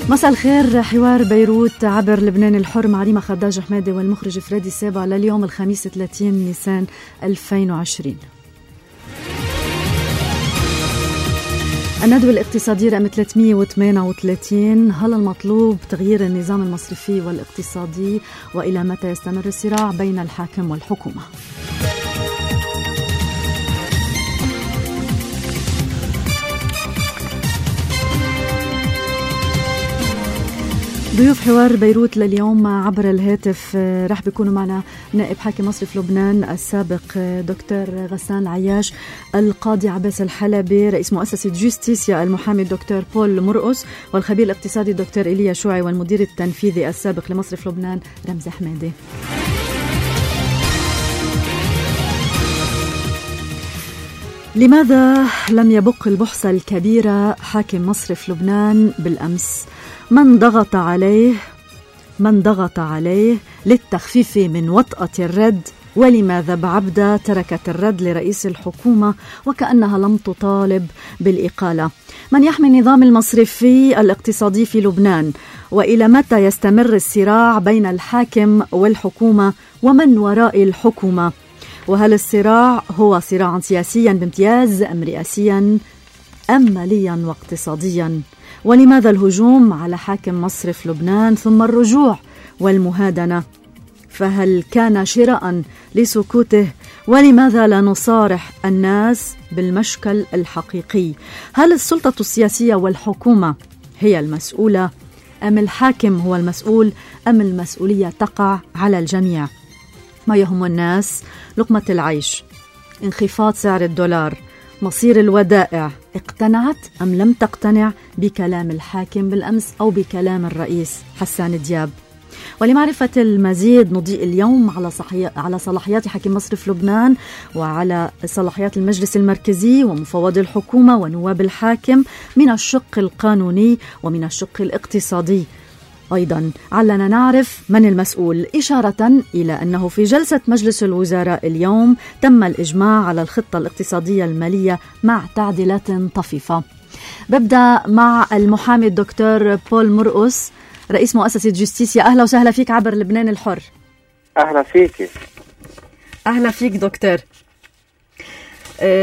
مساء الخير. حوار بيروت عبر لبنان الحر مع ريما خداج حمادي والمخرج فريدي سابع لليوم الخميس 30 نيسان 2020. الندوة الاقتصادية رقم 338. هل المطلوب تغيير النظام المصرفي والاقتصادي؟ وإلى متى يستمر الصراع بين الحاكم والحكومة؟ ضيوف حوار بيروت لليوم عبر الهاتف رح بيكونوا معنا نائب حاكم مصرف لبنان السابق دكتور غسان عياش، القاضي عباس الحلبي، رئيس مؤسسة جوستيسيا المحامي الدكتور بول مرقص، والخبير الاقتصادي الدكتور إيليا شوعي، والمدير التنفيذي السابق لمصرف لبنان رمزي حمادي. لماذا لم يبق البحث الكبيرة حاكم مصرف لبنان بالأمس؟ من ضغط عليه للتخفيف من وطأة الرد؟ ولماذا بعبدة تركت الرد لرئيس الحكومة وكأنها لم تطالب بالإقالة؟ من يحمي النظام المصرفي الاقتصادي في لبنان؟ وإلى متى يستمر الصراع بين الحاكم والحكومة؟ ومن وراء الحكومة؟ وهل الصراع هو صراعا سياسيا بامتياز أم رئاسيا أم ماليا واقتصاديا؟ ولماذا الهجوم على حاكم مصرف لبنان ثم الرجوع والمهادنة؟ فهل كان شراء لسكوته؟ ولماذا لا نصارح الناس بالمشكل الحقيقي؟ هل السلطة السياسية والحكومة هي المسؤولة أم الحاكم هو المسؤول أم المسؤولية تقع على الجميع؟ ما يهم الناس لقمة العيش، انخفاض سعر الدولار، مصير الودائع. اقتنعت أم لم تقتنع بكلام الحاكم بالأمس أو بكلام الرئيس حسان دياب؟ ولمعرفة المزيد نضيء اليوم على صلاحيات حاكم مصرف لبنان وعلى صلاحيات المجلس المركزي ومفوضي الحكومة ونواب الحاكم من الشق القانوني ومن الشق الاقتصادي. أيضا علنا نعرف من المسؤول، إشارة إلى أنه في جلسة مجلس الوزراء اليوم تم الإجماع على الخطة الاقتصادية المالية مع تعديلات طفيفة. ببدأ مع المحامي الدكتور بول مرقص، رئيس مؤسسة جوستيسيا. أهلا وسهلا فيك عبر لبنان الحر. أهلا فيك. أهلا فيك دكتور.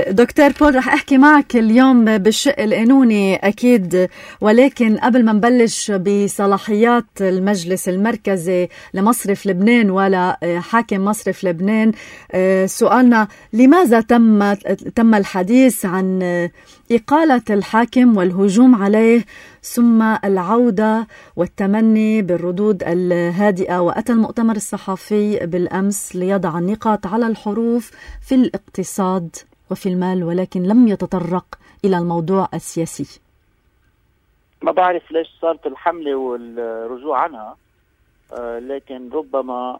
دكتور بول، رح أحكي معك اليوم بالشق القانوني أكيد، ولكن قبل ما نبلش بصلاحيات المجلس المركزي لمصرف لبنان ولا حاكم مصرف لبنان، سؤالنا لماذا تم الحديث عن إقالة الحاكم والهجوم عليه ثم العودة والتمني بالردود الهادئة؟ وأتى المؤتمر الصحفي بالأمس ليضع النقاط على الحروف في الاقتصاد وفي المال، ولكن لم يتطرق إلى الموضوع السياسي. ما بعرف ليش صارت الحملة والرجوع عنها، لكن ربما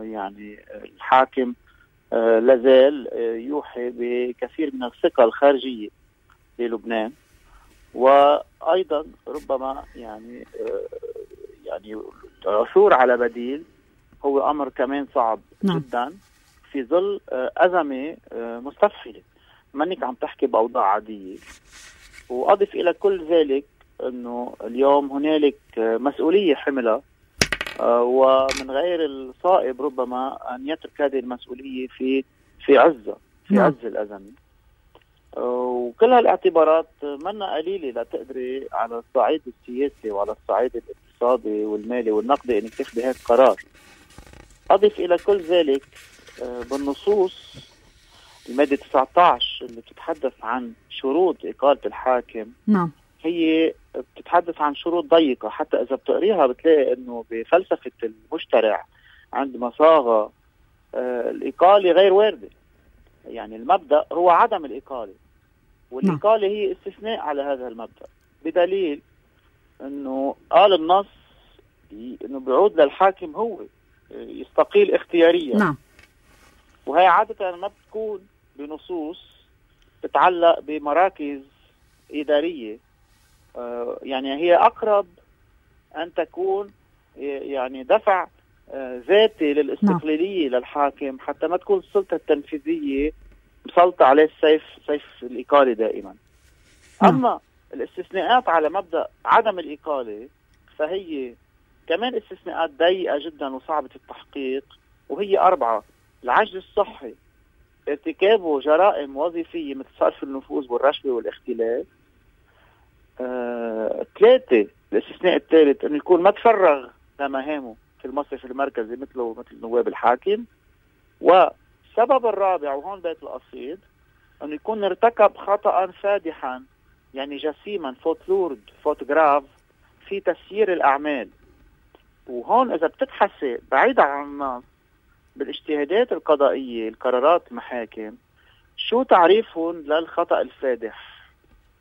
يعني الحاكم لازال يوحي بكثير من الثقة الخارجية للبنان، وأيضا ربما يعني العثور على بديل هو أمر كمان صعب جدا في ظل أزمة مستفحلة، منك عم تحكي بأوضاع عادية. وأضف إلى كل ذلك أنه اليوم هنالك مسؤولية حملة، ومن غير الصائب ربما أن يترك هذه المسؤولية في عز الأزمة. وكل هالاعتبارات منا قليلة لا تقدري على الصعيد السياسي وعلى الصعيد الاقتصادي والمالي والنقدي انك تاخذي هيك قرار. اضف الى كل ذلك بالنصوص المادة 19 اللي بتتحدث عن شروط إقالة الحاكم، نعم، هي بتتحدث عن شروط ضيقة، حتى إذا بتقريها بتلاقي إنه بفلسفة المشترع عندما صاغ الإقالة غير واردة. يعني المبدأ هو عدم الإقالة، والإقالة هي استثناء على هذا المبدأ، بدليل إنه قال النص إنه بيعود للحاكم هو يستقيل اختياريا. نعم. وهي عادة ما بتكون بنصوص تتعلق بمراكز إدارية، يعني هي أقرب أن تكون يعني دفع ذاتي للاستقلالية للحاكم، حتى ما تكون السلطة التنفيذية مسلطة عليه سيف الإقالة دائما. أما الاستثناءات على مبدأ عدم الإقالة فهي كمان استثناءات ضيقة جدا وصعبة التحقيق، وهي 4: العجز الصحي، ارتكابه جرائم وظيفية مثل صرف النفوذ والرشوة والاختلاس. 3: الاستثناء الثالث انه يكون ما تفرغ لمهامه في المصرف المركزي مثل نواب الحاكم. والسبب الرابع وهون بيت القصيد انه يكون ارتكب خطأ فادحا، يعني جسيما، فوتوغراف في تسيير الاعمال. وهون اذا بتبحثي بعيدا عن النص بالاجتهادات القضائية، القرارات المحاكم، شو تعريفهم للخطأ الفادح؟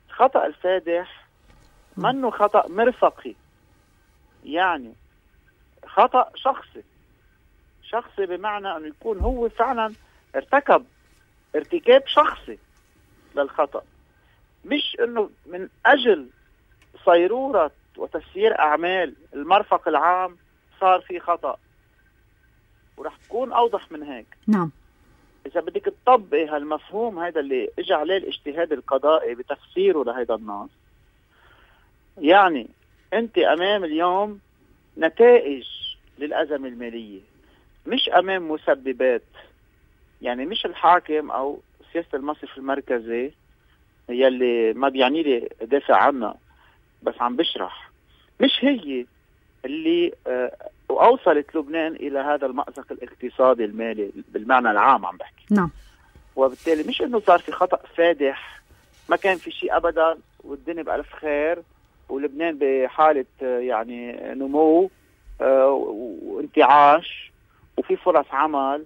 الخطأ الفادح منه خطأ مرفقي، يعني خطأ شخصي بمعنى انه يكون هو فعلا ارتكب ارتكاب شخصي للخطأ، مش انه من اجل صيرورة وتسيير اعمال المرفق العام صار في خطأ. ورح تكون اوضح من هيك. نعم. اذا بدك تطبقي هالمفهوم هذا اللي اجى عليه الاجتهاد القضائي بتفسيره لهذا النص، يعني انت امام اليوم نتائج للأزمة المالية، مش امام مسببات. يعني مش الحاكم او سياسة المصرف المركزي يلي ما بيعني لي دافع عنها، بس عم بشرح، مش هي اللي اوصلت لبنان الى هذا المأزق الاقتصادي المالي بالمعنى العام عم بحكي. نعم. وبالتالي مش انه صار في خطأ فادح، ما كان في شيء ابدا والدنيا بألف خير ولبنان بحالة يعني نمو وانتعاش وفي فرص عمل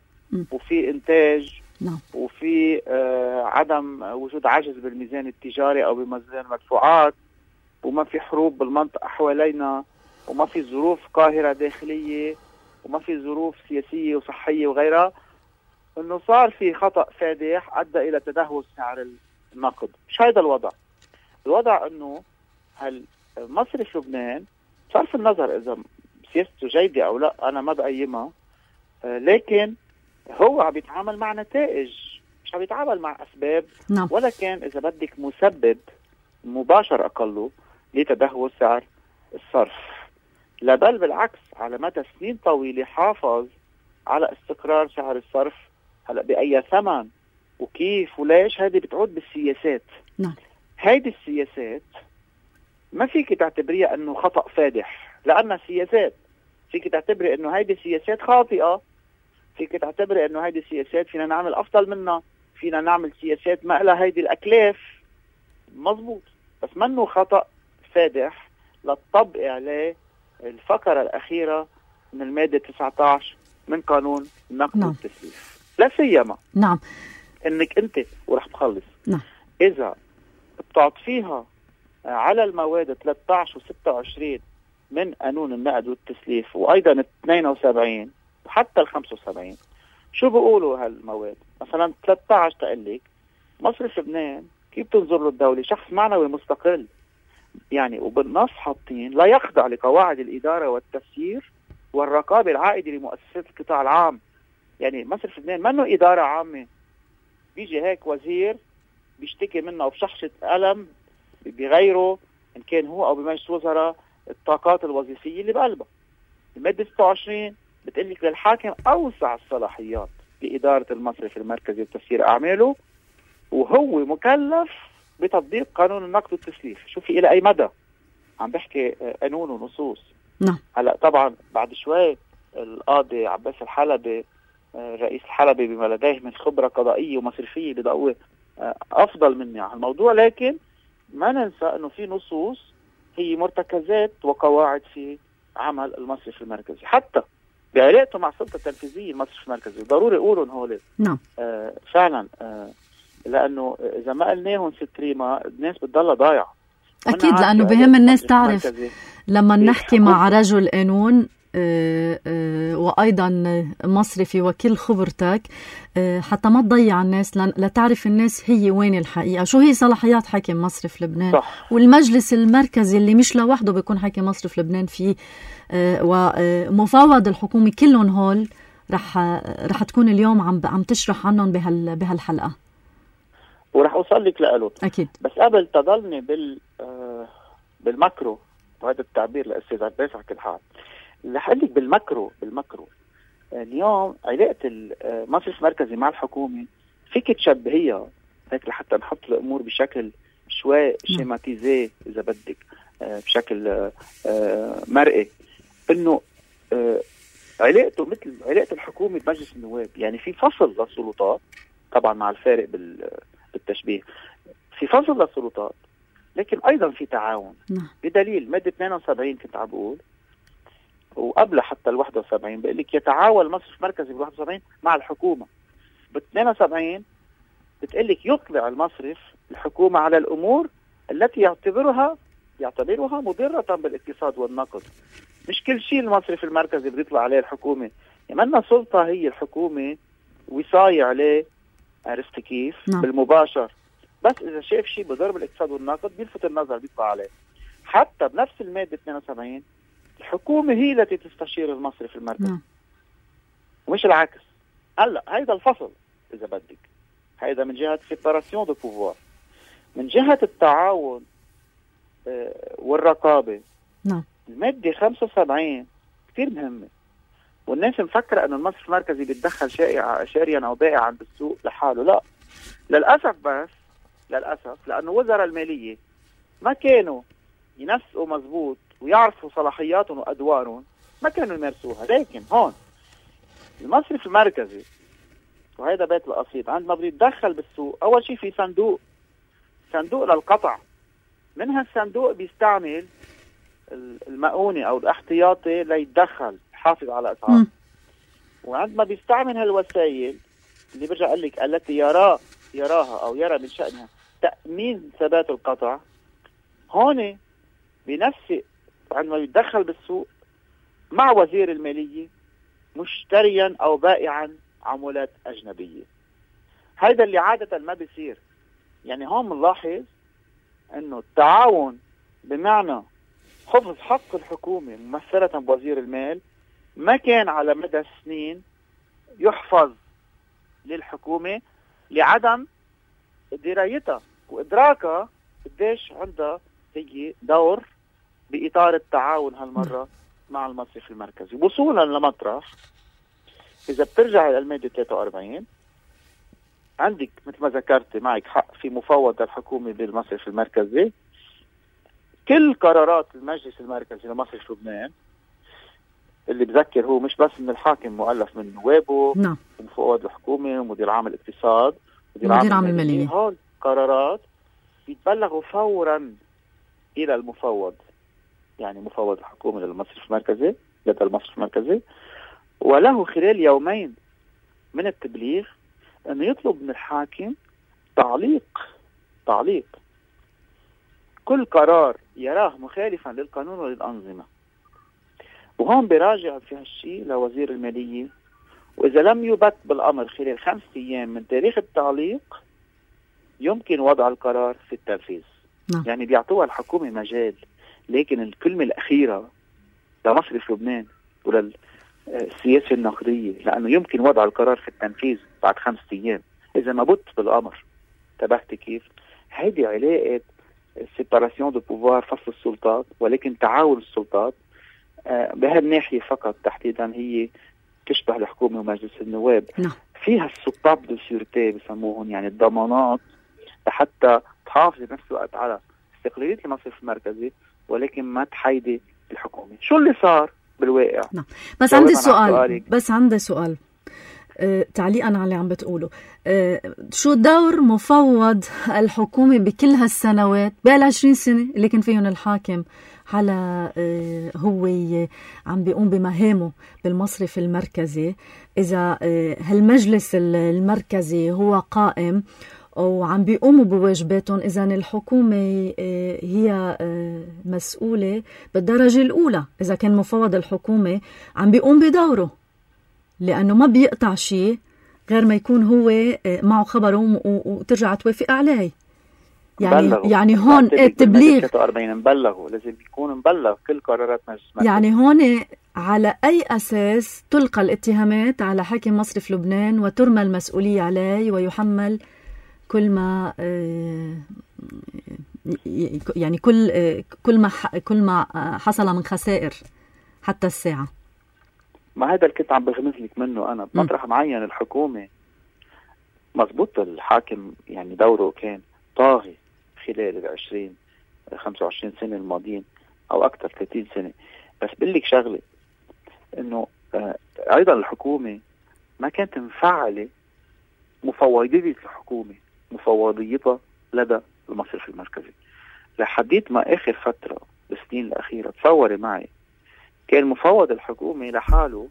وفي انتاج. نعم. وفي عدم وجود عجز بالميزان التجاري او بميزان المدفوعات، وما في حروب بالمنطقة حوالينا، وما في ظروف قاهرة داخلية، وما في ظروف سياسية وصحية وغيرها، انه صار في خطأ فادح ادى الى تدهور سعر النقد. مش هذا الوضع. الوضع انه مصرف لبنان بصرف النظر اذا سياسته جيدة او لا، انا ما بقيمها، لكن هو عم يتعامل مع نتائج، مش عم يتعامل مع اسباب. نعم. ولا كان اذا بدك مسبب مباشر اقله لتدهور سعر الصرف، لا بل بالعكس على مدى سنين طويلة حافظ على استقرار سعر الصرف. هلا بأي ثمن وكيف وليش هذه بتعود بالسياسات. نعم. هيدي السياسات ما فيك تعتبريها انه خطأ فادح لانها سياسات، فيك تعتبري انه هيدي سياسات خاطئة، فيك تعتبري انه هيدي سياسات فينا نعمل افضل منها، فينا نعمل سياسات ما لها هيدي الاكلاف. مزبوط، بس منه خطأ فادح لتطبق عليه الفقرة الأخيرة من المادة 19 من قانون النقد. نعم. والتسليف، لا سيما نعم انك انت ورح تخلص. نعم. اذا بتعطيها على المواد 13 و26 من قانون النقد والتسليف، وايضا 72 وحتى 75، شو بيقولوا هالمواد؟ مثلا 13 تقلك مصرف لبنان كيف تنظر له الدولة؟ شخص معنوي مستقل، يعني وبالنص حاطين لا يخضع لقواعد الإدارة والتسيير والرقابة العائدة لمؤسسات القطاع العام. يعني مصرف لبنان منه إدارة عامة بيجي هيك وزير بيشتكي منه وبشخشة قلم بغيره إن كان هو أو بمجلس وزراء الطاقات الوظيفية اللي بقلبها. المادة 26 بتقلك للحاكم أوسع الصلاحيات لإدارة المصرف المركزي وتسيير أعماله، وهو مكلف بتطبيق قانون النقد والتسليف. شوفي إلى أي مدى عم بحكي قانون ونصوص. نعم. هلا طبعا بعد شوي القاضي عباس الحلبي رئيس الحلبي بما لديه من خبرة قضائية ومصرفية بضوء أفضل مني على الموضوع، لكن ما ننسى أنه في نصوص هي مرتكزات وقواعد في عمل المصرف المركزي، حتى بعلاقته مع السلطة التنفيذية المصرف المركزي. ضروري يقولون هول. نعم. فعلا لأنه إذا ما قلناهم ست ريما الناس بتضلها ضايعة. أكيد، لأنه بهم الناس تعرف لما نحكي مع رجل قانون وأيضا مصرفي وكل خبرتك حتى ما تضيع الناس، لتعرف الناس هي وين الحقيقة، شو هي صلاحيات حاكم مصرف لبنان. صح. والمجلس المركزي اللي مش لوحده بيكون حاكم مصرف لبنان فيه، ومفوض الحكومة، كلهم هول رح تكون اليوم عم تشرح عنهم بهالحلقة، ورح أوصل لك لقلوت. أكيد. بس قبل تضلني بالماكرو وهذا التعبير لأستاذ عباس على كل حال. اللي حقلك بالمكرو اليوم علاقة المصرف المركزي مع الحكومة فيك تشبهيها هيك لحتى نحط الأمور بشكل شوي شيماتيزي إذا بدك، بشكل مرئي، إنه علاقته مثل علاقة الحكومة بمجلس النواب. يعني في فصل للسلطات، طبعا مع الفارق بالتشبيه، في فصل للسلطات لكن أيضا في تعاون. بدليل مادة 72 كنت عم بقول، وقبل حتى ال 71 بقول لك يتعاون المصرف المركزي بال 71 مع الحكومة. بال 72 بتقول لك يطلع المصرف الحكومة على الأمور التي يعتبرها مضرة بالاقتصاد والنقد. مش كل شيء المصرف المركزي بده يطلع عليه الحكومة، يمنا سلطة هي الحكومة وصاية عليه، عرفت كيف؟ بالمباشر، بس إذا شاف شيء بضر بالاقتصاد والنقد بيلفت النظر بيطلع عليه. حتى بنفس المادة 72 الحكومة هي التي تستشير المصرف المركزي ومش العكس. هلا هيدا الفصل إذا بدك، هيدا من جهة سيباراسيون دو بوفوار. من جهة التعاون والرقابة المادة 75 كتير مهمة، والناس مفكرة أنه المصرف المركزي بيتدخل شاريا أو بائعا بالسوق لحاله. لا، للأسف، بس للأسف لأنه وزراء المالية ما كانوا ينسقوا مزبوط ويعرفوا صلاحياتهم وأدوارهم، ما كانوا يمارسوها. لكن هون المصرف المركزي، وهذا بيت القصيد، عندما بده يتدخل بالسوق أول شيء في صندوق للقطع. من هالصندوق بيستعمل المؤونة أو الاحتياطي ليتدخل يحافظ على أسعار. وعندما بيستعمل هالوسائل اللي برجع أقول لك التي يراها أو يرى من شأنها تأمين ثبات القطع، هون بنفسه عندما يتدخل بالسوق مع وزير المالية مشتريا أو بائعا عملات أجنبية. هذا اللي عادة ما بيصير. يعني هون بنلاحظ أنه التعاون بمعنى حفظ حق الحكومة ممثلة بوزير المال ما كان على مدى السنين يحفظ للحكومة لعدم درايتها وإدراكها قديش عندها هي دور بإطار التعاون هالمرة مع المصرف المركزي. وصولا لمطرح إذا بترجع إلى المادة 43 عندك مثل ما ذكرت معك حق في مفوض الحكومة بالمصرف المركزي. كل قرارات المجلس المركزي لمصرف لبنان اللي بذكر هو مش بس من الحاكم مؤلف من نوابه ومفوض الحكومة ومدير عام الاقتصاد ومدير عام المالية، هول قرارات بيتبلغوا فورا إلى المفوض، يعني مفوض الحكومة للمصرف المركزي لدى المصرف المركزي، وله خلال يومين من التبليغ أنه يطلب من الحاكم تعليق كل قرار يراه مخالفا للقانون وللأنظمة. وهون براجع في هالشيء لوزير المالية، وإذا لم يبت بالأمر خلال 5 أيام من تاريخ التعليق يمكن وضع القرار في التنفيذ. يعني بيعطوها الحكومة مجال، لكن الكلمة الأخيرة لمصرف لبنان وللسياسة النقدية، لأنه يمكن وضع القرار في التنفيذ بعد 5 أيام إذا ما بت بالأمر. انتبهت كيف؟ هيدي علاقة سيباراسيون دو بوفوار، فصل السلطات، ولكن تعاون السلطات بهالناحية فقط تحديدا هي تشبه الحكومة ومجلس النواب. فيها السطاب دو سيورتي بسموهم، يعني الضمانات لحتى تحافظ بنفس الوقت على استقلالية المصرف المركزي ولكن ما تحيدي الحكومة. شو اللي صار بالواقع؟ بس عندي سؤال تعليقا على اللي عم بتقوله. شو دور مفوض الحكومة بكل هالسنوات بال20 سنة اللي كان فيهم الحاكم على هو عم بيقوم بمهامه بالمصرف المركزي؟ إذا هالمجلس المركزي هو قائم وعم بيقوموا بواجباتهم، إذن الحكومة هي مسؤولة بالدرجة الأولى إذا كان مفوض الحكومة عم بيقوم بدوره، لأنه ما بيقطع شيء غير ما يكون هو معه خبره وترجع توافق عليه. يعني هون التبليغ 43 مبلغوا، لازم يكون مبلغ كل قرارات مجلس المركزي. يعني هون على أي أساس تلقى الاتهامات على حاكم مصرف لبنان وترمى المسؤولية عليه ويحمل كل ما يعني كل ما حصل من خسائر حتى الساعة. ما هذا اللي كنت عم بغمز لك منه أنا بمطرح معين. الحكومة مضبوط الحاكم يعني دوره كان طاغي خلال 25 سنة الماضيين أو أكثر 30 سنة. بس بقول شغلة إنه أيضا الحكومة ما كانت مفعلة مفوضية الحكومة مفوضيتها لدى المصرف المركزي. لحديت ما آخر فترة بالسنين الأخيرة تصوري معي كان مفوض الحكومة لحاله،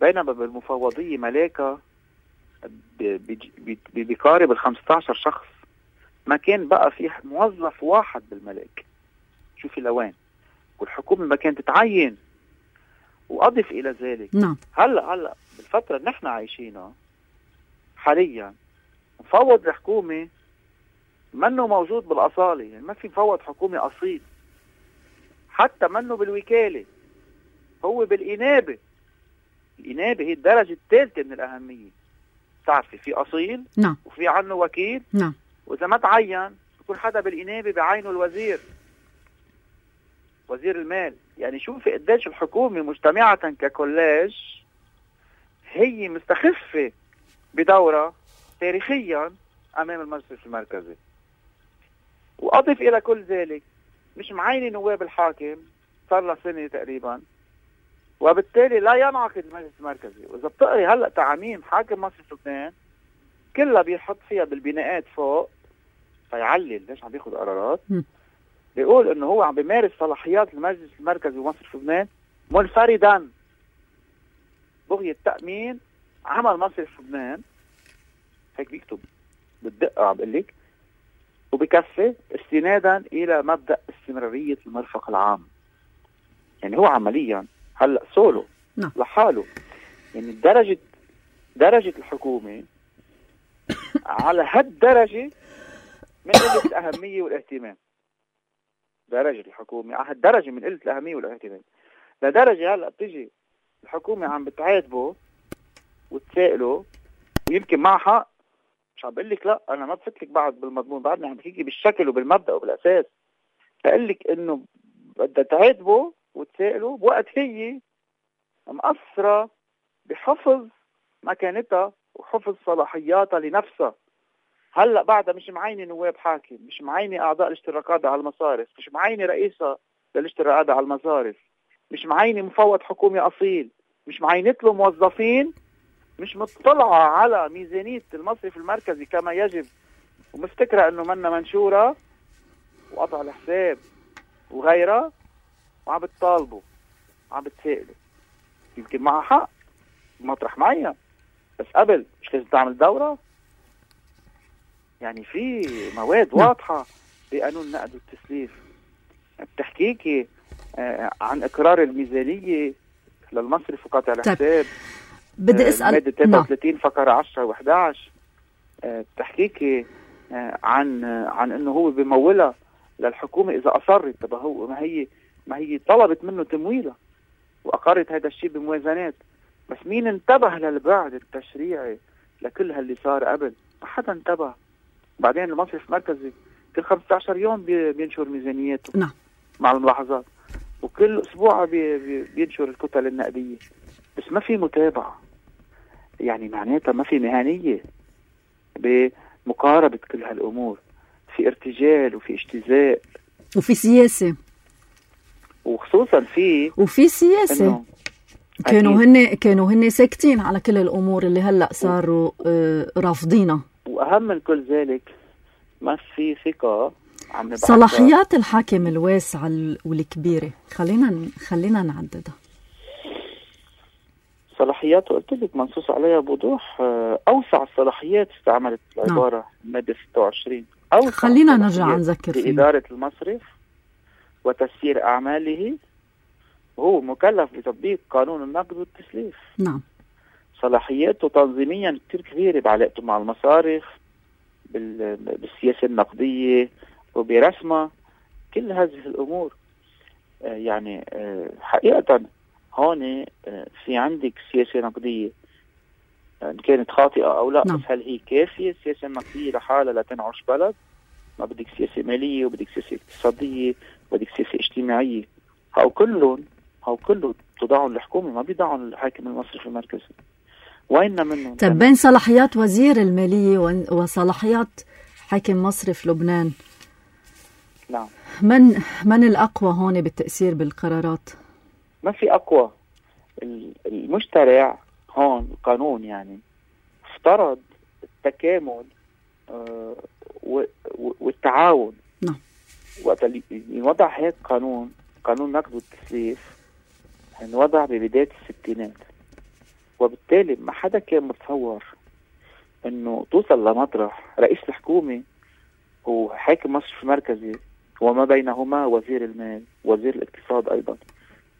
بينما بالمفوضية ملاكة بقارب 15 شخص. ما كان بقى في موظف واحد بالملاك. شوفي لوين والحكومة ما كانت تتعين. وأضف إلى ذلك هلأ بالفترة اللي نحن عايشينها حاليا مفوض الحكومة منه موجود بالأصالة. يعني ما في مفوض حكومي أصيل، حتى منه بالوكالة، هو بالإنابة. الإنابة هي الدرجة الثالثة من الأهمية. تعرفي في أصيل وفي عنه وكيل. وإذا ما تعين يكون حدا بالإنابة بعينه الوزير، وزير المال. يعني شوفي قديش الحكومة مجتمعة ككولاج هي مستخفة بدورة تاريخيا أمام المجلس المركزي. وأضف إلى كل ذلك مش معيني نواب الحاكم صار له سنة تقريبا، وبالتالي لا ينعقد المجلس المركزي. وإذا بتقري هلأ تعميم حاكم مصرف لبنان كلها بيحط فيها بالبناءات فوق فيعلل ليش عم بياخد قرارات. بيقول انه هو عم بيمارس صلاحيات المجلس المركزي ومصرف لبنان منفردا بغية تأمين عمل مصرف لبنان. هيك بيكتب بالدقة عم بقول لك، وبكفي استنادا الى مبدأ استمرارية المرفق العام. يعني هو عمليا هلا سولو لحاله. يعني درجة الحكومة على هالدرجة من قلة الأهمية والاهتمام. درجة الحكومة على هالدرجة من قلة الأهمية والاهتمام، لدرجة هلأ بتيجي الحكومة عم بتعاتبه وتسائله ويمكن مع حق. مش عم بقول لك لا، أنا ما بفتلك بعد بالمضمون، بعدني عم بحكي بالشكل وبالمبدأ وبالأساس. بقول لك إنه بدها تعاتبه وتسائله بوقت هي مقصرة بحفظ مكانتها وحفظ صلاحياتها لنفسها. هلأ بعدها مش معينة نواب حاكم، مش معينة أعضاء الاشتراكات على المصارف، مش معينة رئيسة للاشتراكات على المصارف، مش معينة مفوض حكومي أصيل، مش معينة له موظفين، مش مطلعة على ميزانية المصرف المركزي كما يجب، ومفتكرة أنه منا منشورة وقطع الحساب وغيرها، وعم بتطالبوا وعم بتسائلوا. يمكن معها حق مطرح معين، بس قبل مش لازم تعمل دورة. يعني في مواد واضحة بقانون النقد والتسليف بتحكيكي عن إقرار الميزانية للمصرف وقطع الحساب. بدي أسأل مادة 33 فقرة 10 و11 بتحكيكي عن إنه هو بمولها للحكومة إذا أصرت. طب هو ما هي طلبت منه تمويلها وأقرت هذا الشيء بموازنات. بس مين انتبه للبعد التشريعي لكل هاللي صار قبل؟ ما حدا انتبه. بعدين المصرف المركزي كل 15 يوم بينشر ميزانياته مع الملاحظات، وكل أسبوع بينشر الكتل النقدية، بس ما في متابعة. يعني معناتها ما في مهنية بمقاربة كل هالأمور. في ارتجال وفي اجتزاء وفي سياسة، وخصوصا وفي سياسة. كانوا هن ساكتين على كل الأمور اللي هلأ صاروا رافضينها. وأهم من كل ذلك ما في ثقة. صلاحيات الحاكم الواسعة والكبيرة خلينا نعددها. صلاحياته قلت لك منصوص عليها بوضوح. أوسع الصلاحيات استعملت العبارة مادة 26. خلينا نرجع نذكر فيه. لإدارة المصرف وتسيير أعماله، وهو مكلف بتطبيق قانون النقد والتسليف. صلاحياته تنظيميا كتير كبيرة بعلاقته مع المصارف، بالسياسة النقدية وبرسمة، كل هذه الأمور. يعني حقيقة هون في عندك سياسة نقدية كانت خاطئة أو لا. بس هل هي كافية السياسة النقدية لحالها لا تنعش بلد؟ ما بدك سياسة مالية وبدك سياسة اقتصادية وبدك سياسة اجتماعية. هاو كلهم تضعهم الحكومة، ما بيضعهم الحاكم المصرفي المركزي. وين منهم؟ طب بين صلاحيات وزير المالية وصلاحيات حاكم مصرف لبنان، نعم، من الأقوى هون بالتأثير بالقرارات؟ ما في أقوى. المشترع هون القانون يعني افترض التكامل والتعاون. نعم. وقت اللي يوضع هيك قانون نقد والتسليف انوضع ببداية الستينات، وبالتالي ما حدا كان متصور انه توصل لمطرح رئيس الحكومة وحاكم مصرفي مركزي وما بينهما وزير المال وزير الاقتصاد ايضا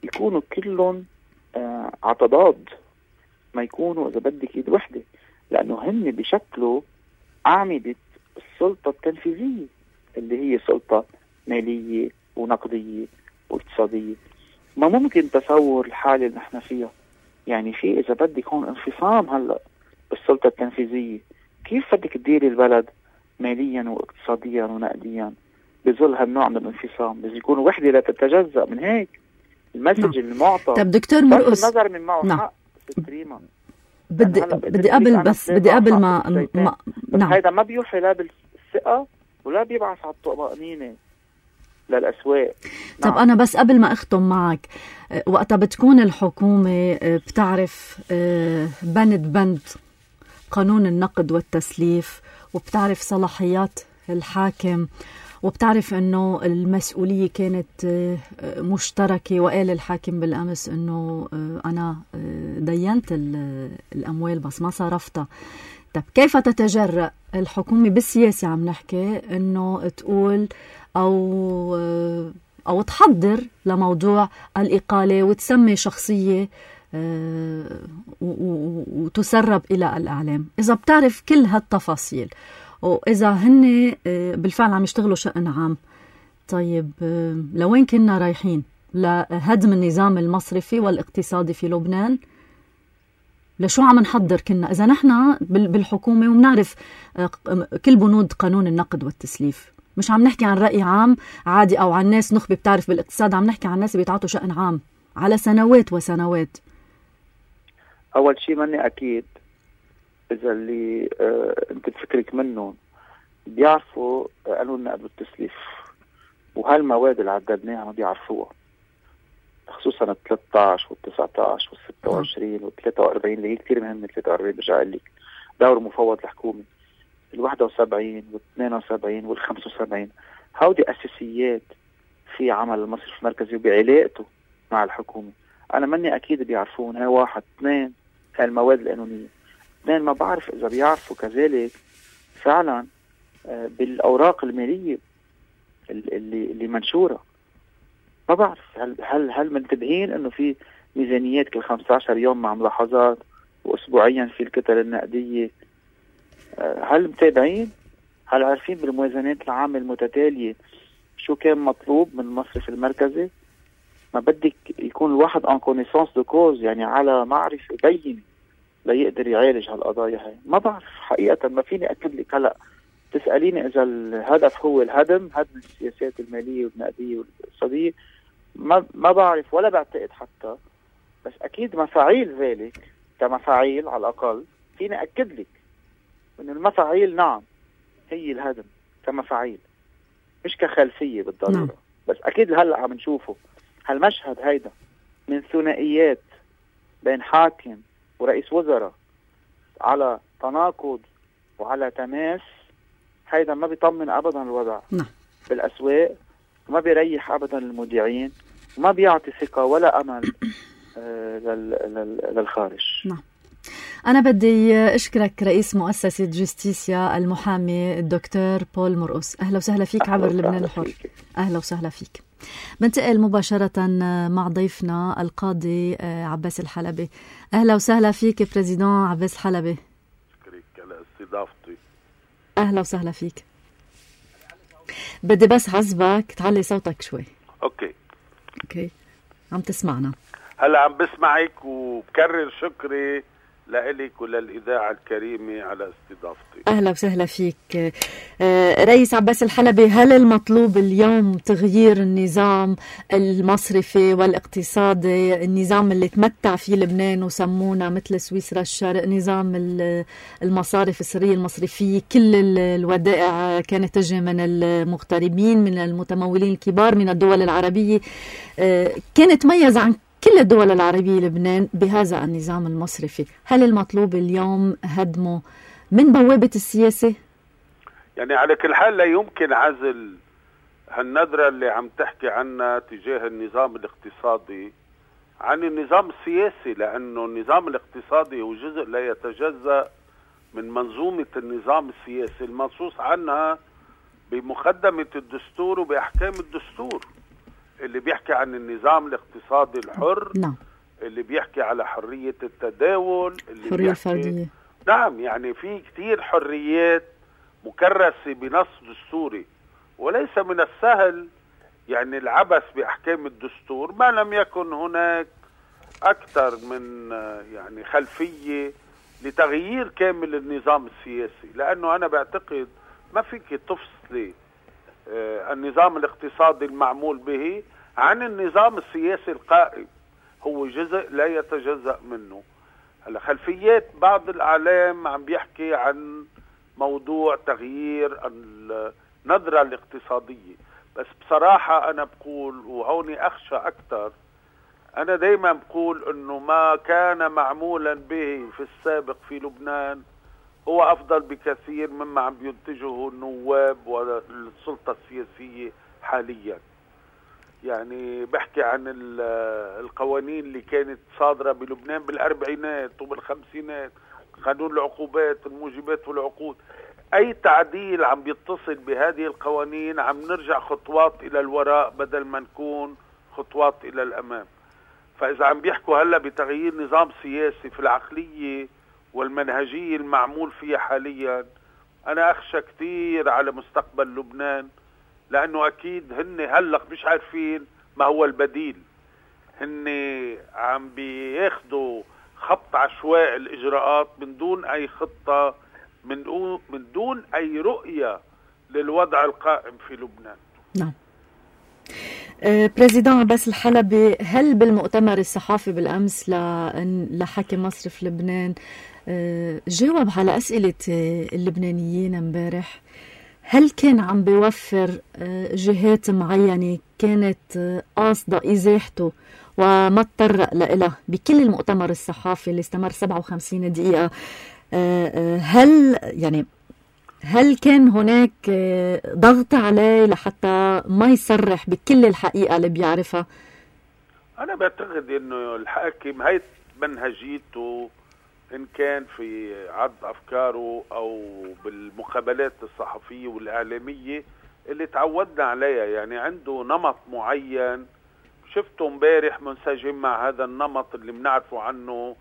يكونوا كلهم عتضاد، ما يكونوا اذا بدك ايد وحده، لانه هن بشكلوا اعمدة السلطة التنفيذية اللي هي سلطة مالية ونقدية واقتصادية. ما ممكن تصور الحالة اللي نحن فيها، يعني في إذا بدك هون انفصام هلأ بالسلطة التنفيذية. كيف بدك تديري البلد ماليا واقتصاديا ونقديا بظل هالنوع من الانفصام؟ لازم يكون وحدة لا تتجزأ من هيك المسج المعطى. طب دكتور مرقص، النظر من معه حق تكريما. بدي قبل ما نعم. هيدا ما بيوحي لا بالثقة ولا بيبعث على الطمأنينة للأسواق. طب أنا بس قبل ما أختم معك، وقتها بتكون الحكومة بتعرف بند قانون النقد والتسليف، وبتعرف صلاحيات الحاكم، وبتعرف أنه المسؤولية كانت مشتركة، وقال الحاكم بالأمس أنه أنا دينت الأموال بس ما صرفتها. طب كيف تتجرأ الحكومة بالسياسة عم نحكي أنه تقول أو تحضر لموضوع الإقالة وتسمي شخصية وتسرب إلى الإعلام إذا بتعرف كل هالتفاصيل، وإذا هن بالفعل عم يشتغلوا شأن عام؟ طيب لوين كنا رايحين؟ لهدم النظام المصرفي والاقتصادي في لبنان؟ لشو عم نحضر كنا إذا نحن بالحكومة ومنعرف كل بنود قانون النقد والتسليف؟ مش عم نحكي عن رأي عام عادي أو عن ناس نخبة بتعرف بالاقتصاد، عم نحكي عن ناس بيتعاطوا شأن عام على سنوات وسنوات. أول شيء ماني أكيد إذا اللي أنت تفكرك منهم بيعرفوا قانون النقد والتسليف، وهالمواد اللي عددناها ما بيعرفوها، خصوصا ال 13 وال 19 وال 26 وال 43 اللي هي كثير مهمة. 43 برجع أقول لك دور مفوض الحكومة، ال 71 وال 72 وال 75 هودي أساسيات في عمل المصرف المركزي وبعلاقته مع الحكومة. أنا مني أكيد بيعرفون. هاي واحد. اثنين، هاي المواد القانونية. اثنين، ما بعرف إذا بيعرفوا كذلك فعلا بالأوراق المالية اللي منشورة. ما بعرف هل منتبهين انه في ميزانيات كل 15 يوم مع ملاحظات، واسبوعيا في الكتل النقدية؟ هل متابعين؟ هل عارفين بالموازنات العامة المتتالية شو كان مطلوب من المصرف المركزي؟ ما بدك يكون الواحد ان كونيسانس دو كوز، يعني على معرفة بينة ليقدر يعالج هالقضايا هاي. ما بعرف حقيقة، ما فيني أكد لك. هلأ تسأليني إذا الهدف هو هدم السياسات المالية والنقدية والاقتصادية، ما بعرف ولا بعتقد حتى، بس أكيد مفاعيل ذلك كمفاعيل على الأقل فيني أكد لك إن المفاعيل نعم هي الهدم كمفاعيل مش كخلفية بالضرورة. نعم. بس أكيد هلأ عم نشوفه هالمشهد هيدا من ثنائيات بين حاكم ورئيس وزراء على تناقض وعلى تماس. هيدا ما بيطمن أبدا الوضع. نعم. بالأسواق، وما بيريح أبدا المودعين، وما بيعطي ثقة ولا أمل للخارج. نعم. أنا بدي أشكرك رئيس مؤسسة جستيسيا المحامي الدكتور بول مرقص. أهلا وسهلا فيك عبر لبنان الحر. أهلا وسهلا فيك. بنتقل مباشرة مع ضيفنا القاضي عباس الحلبي. أهلا وسهلا فيك بريزيدون عباس الحلبي. شكرك على استضافتي. أهلا وسهلا فيك. بدي بس عزبك تعلي صوتك شوي. اوكي عم تسمعنا؟ هلا عم بسمعك، وبكرر شكري لإلك وللإذاعة الكريمة على استضافتي. أهلا وسهلا فيك. رئيس عباس الحلبي، هل المطلوب اليوم تغيير النظام المصرفي والاقتصادي، النظام اللي تمتع فيه لبنان وسمونا مثل سويسرا الشرق، نظام المصارف السرية المصرفية، كل الودائع كانت تجي من المغتربين، من المتمولين الكبار، من الدول العربية، كانت تميز عن كل الدول العربية لبنان بهذا النظام المصرفي. هل المطلوب اليوم هدمه من بوابة السياسة؟ يعني على كل حال لا يمكن عزل هالنظرة اللي عم تحكي عنها تجاه النظام الاقتصادي عن النظام السياسي، لأنه النظام الاقتصادي هو جزء لا يتجزأ من منظومة النظام السياسي المنصوص عنها بمقدمة الدستور وبأحكام الدستور، اللي بيحكي عن النظام الاقتصادي الحر. نعم. اللي بيحكي على حرية التداول، اللي حرية الفردية. نعم، يعني في كتير حريات مكرسة بنص دستوري، وليس من السهل يعني العبث بأحكام الدستور ما لم يكن هناك أكثر من يعني خلفية لتغيير كامل النظام السياسي. لأنه أنا بعتقد ما فيك تفصلي النظام الاقتصادي المعمول به عن النظام السياسي القائم، هو جزء لا يتجزأ منه. هلا خلفيات بعض الإعلام عم بيحكي عن موضوع تغيير النظرة الاقتصادية، بس بصراحة أنا بقول وهوني أخشى أكثر، أنا دايما بقول أنه ما كان معمولا به في السابق في لبنان هو أفضل بكثير مما عم بينتجه النواب والسلطة السياسية حاليا. يعني بحكي عن القوانين اللي كانت صادرة بلبنان بالأربعينات وبالخمسينات، قانون العقوبات، الموجبات والعقود، أي تعديل عم بيتصل بهذه القوانين عم نرجع خطوات إلى الوراء بدل ما نكون خطوات إلى الأمام. فإذا عم بيحكوا هلأ بتغيير نظام سياسي في العقلية والمنهجية المعمول فيها حاليا، أنا أخشى كتير على مستقبل لبنان، لأنه أكيد هن هلأ مش عارفين ما هو البديل. هن عم بياخدوا خط عشواء الإجراءات من دون أي خطة، من دون أي رؤية للوضع القائم في لبنان. نعم. بريزيدان عباس الحلبي، هل بالمؤتمر الصحافي بالأمس لحاكم مصرف لبنان جاوب على أسئلة اللبنانيين امبارح؟ هل كان عم بيوفر جهات معينة كانت قاصدة إزاحته وما تطرق لها بكل المؤتمر الصحافي اللي استمر 57 دقيقة؟ هل كان هناك ضغط عليه لحتى ما يصرح بكل الحقيقة اللي بيعرفها؟ أنا بعتقد إنه الحاكم هاي منهجيته، إن كان في عرض أفكاره أو بالمقابلات الصحفية والإعلامية اللي تعودنا عليها، يعني عنده نمط معين شفته امبارح منسجم مع هذا النمط اللي بنعرفه عنه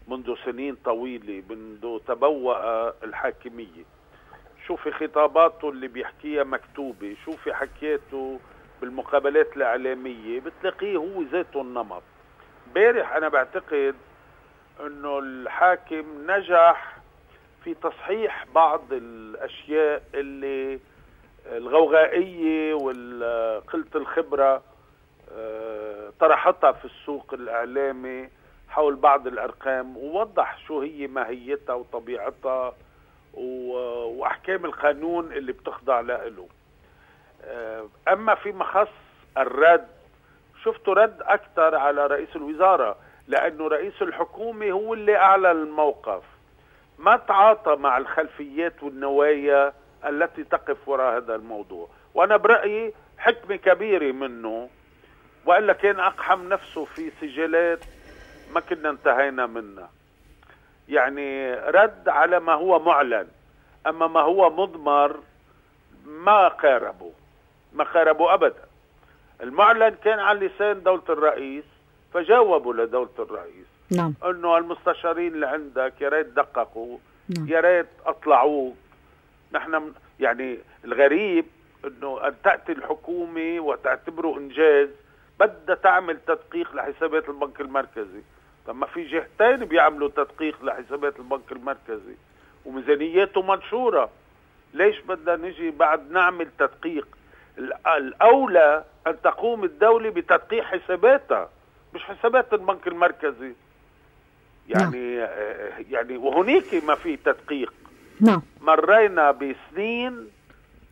منذ سنين طويلة، منذ تبوأ الحاكمية. شوفي خطاباته اللي بيحكيها مكتوبة، شوفي حكيته بالمقابلات الإعلامية، بتلاقيه هو ذاته النمط. امبارح أنا بعتقد انه الحاكم نجح في تصحيح بعض الاشياء اللي الغوغائية وقلة الخبرة طرحتها في السوق الاعلامي حول بعض الارقام، ووضح شو هي ماهيتها وطبيعتها واحكام القانون اللي بتخضع له. اما فيما خص الرد، شفته رد اكثر على رئيس الوزراء، لأنه رئيس الحكومة هو اللي أعلى الموقف، ما تعاطى مع الخلفيات والنوايا التي تقف وراء هذا الموضوع. وأنا برأيي حكمة كبيرة منه، وإلا كان أقحم نفسه في سجلات ما كنا انتهينا منها. يعني رد على ما هو معلن، أما ما هو مضمر ما قاربه أبدا. المعلن كان على لسان دولة الرئيس، فجاوبوا لدولة الرئيس. نعم. انه المستشارين اللي عندك يا ريت دققوا، نعم. يا ريت اطلعوك. نحن يعني الغريب انه ان تأتي الحكومة وتعتبره انجاز بدها تعمل تدقيق لحسابات البنك المركزي. طب ما في جهتين بيعملوا تدقيق لحسابات البنك المركزي وميزانياته منشورة، ليش بدنا نجي بعد نعمل تدقيق؟ الأولى أن تقوم الدولة بتدقيق حساباتها مش حسابات البنك المركزي. يعني وهنيك ما في تدقيق. نعم. مرينا بسنين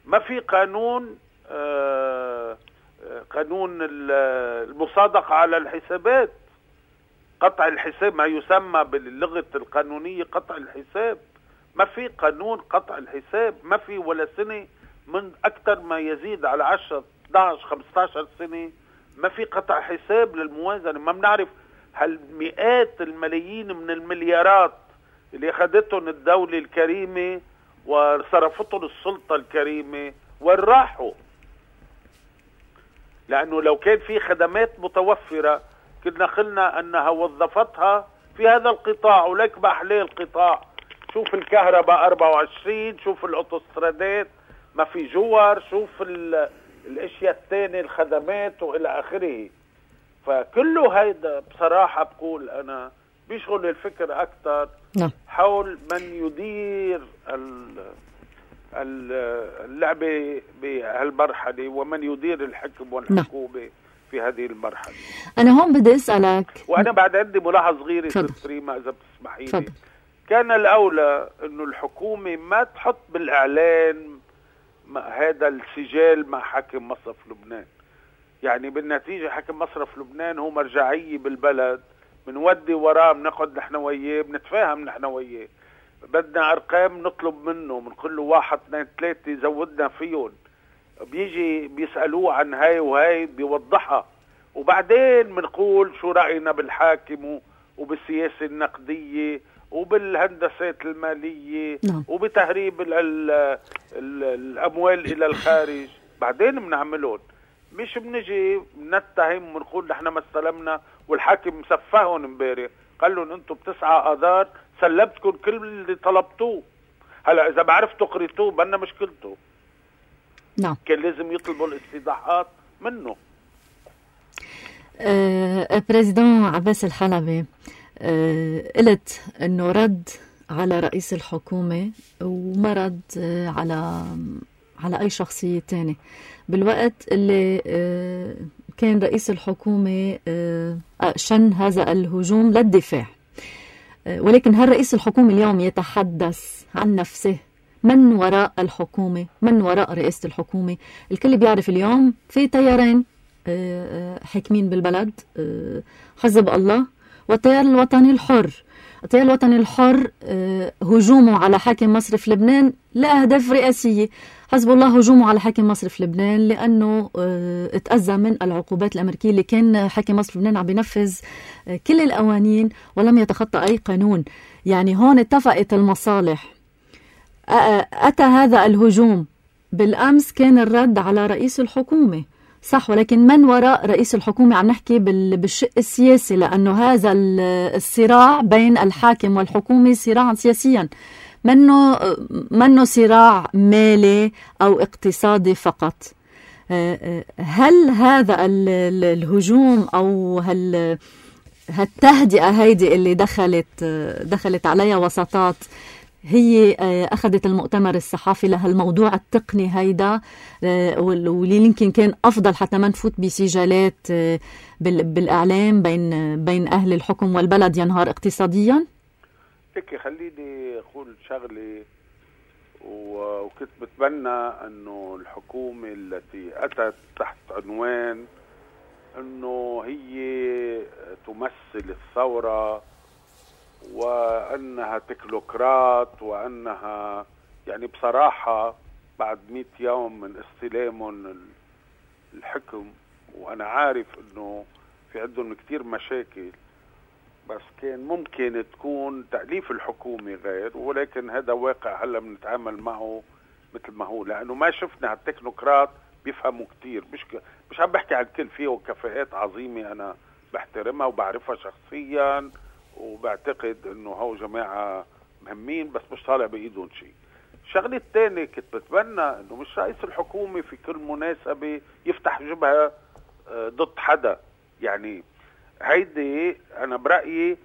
ما في قانون قانون المصادقة على الحسابات، قطع الحساب، ما يسمى باللغة القانونية قطع الحساب. ما في قانون قطع الحساب، ما في ولا سنة من أكثر ما يزيد على 10 11 15 سنة ما في قطع حساب للموازنة. ما بنعرف هالمئات الملايين من المليارات اللي أخذتهم الدولة الكريمة وصرفتهم السلطة الكريمة وين راحوا؟ لأنه لو كان في خدمات متوفرة كنا قلنا أنها وظفتها في هذا القطاع، ولك بأحلى القطاع. شوف الكهرباء 24، شوف الأوتوسترادات ما في جوار، شوف الاشياء الثانية الخدمات والى اخره. فكله هيدا بصراحة بقول انا بيشغل الفكر اكثر حول من يدير اللعبة بهالمرحلة ومن يدير الحكم والحكومة في هذه المرحلة. انا هون بدي اسألك، وانا بعد عندي ملاحظة صغيرة تسريما اذا بتسمحي لي. كان الاولى انه الحكومة ما تحط بالاعلان هذا السجال مع حاكم مصرف لبنان. يعني بالنتيجة حاكم مصرف لبنان هو مرجعية بالبلد، بنودي وراه، بنقعد نحن وياه، بنتفاهم نحن وياه، بدنا ارقام نطلب منه، بنقول له 1 2 3 زودنا فيهم، بيجي بيسألوه عن هاي وهاي بيوضحها، وبعدين بنقول شو رأينا بالحاكم وبالسياسة النقدية وبالهندسات المالية وبتهريب الأموال إلى الخارج. بعدين بنعملون، مش بنجي بنتهم ونقول نحن ما استلمنا والحاكم مسفهون امبارح قال لهم انتم ب9 آذار سلبتكم كل اللي طلبتوه. هلا إذا بعرفتوا قريتوه بنا مشكلته. نعم. كان لازم يطلبوا الاستيضاحات منه. بريزيدون عباس الحلبي، قلت انه رد على رئيس الحكومة وما رد على اي شخصية تانية بالوقت اللي كان رئيس الحكومة شن هذا الهجوم للدفاع. ولكن هل رئيس الحكومة اليوم يتحدث عن نفسه؟ من وراء الحكومة؟ من وراء رئاسة الحكومة؟ الكل بيعرف اليوم في تيارين حاكمين بالبلد، حزب الله والتيار الوطني الحر. التيار الوطني الحر هجومه على حاكم مصرف لبنان لأهداف رئاسية. حزب الله هجومه على حاكم مصرف لبنان لأنه اتأذى من العقوبات الأمريكية اللي كان حاكم مصرف لبنان عم بينفذ كل القوانين ولم يتخطى أي قانون. يعني هون اتفقت المصالح. أتى هذا الهجوم بالأمس، كان الرد على رئيس الحكومة صح، ولكن من وراء رئيس الحكومة؟ عم نحكي بالشق السياسي، لأنه هذا الصراع بين الحاكم والحكومة صراعا سياسيا، منه صراع مالي أو اقتصادي فقط. هل هذا الهجوم أو هالتهدئة هيدي اللي دخلت عليها وساطات هي أخذت المؤتمر الصحافي لهالموضوع التقني هيدا، واللي يمكن كان أفضل حتى ما نفوت بسجالات بالإعلام بين أهل الحكم والبلد ينهار اقتصاديا؟ هيك خليني أقول شغلة، وكنت بتمنى أنه الحكومة التي أتت تحت عنوان أنه هي تمثل الثورة وأنها تكنوقراط وأنها يعني بصراحة بعد 100 يوم من استلامهم الحكم، وأنا عارف أنه في عندهم كتير مشاكل، بس كان ممكن تكون تأليف الحكومة غير، ولكن هذا واقع هلا بنتعامل معه مثل ما هو، لأنه ما شفنا هالتكنوقراط بيفهموا كتير. مش عم بحكي عن كل، فيه كفاءات عظيمة أنا بحترمها وبعرفها شخصيا وبعتقد انه هو جماعة مهمين، بس مش طالع بايدهم شيء. الشغلة الثانية كنت بتمنى انه مش رئيس الحكومة في كل مناسبة يفتح جبهة ضد حدا. يعني هيدي انا برأيي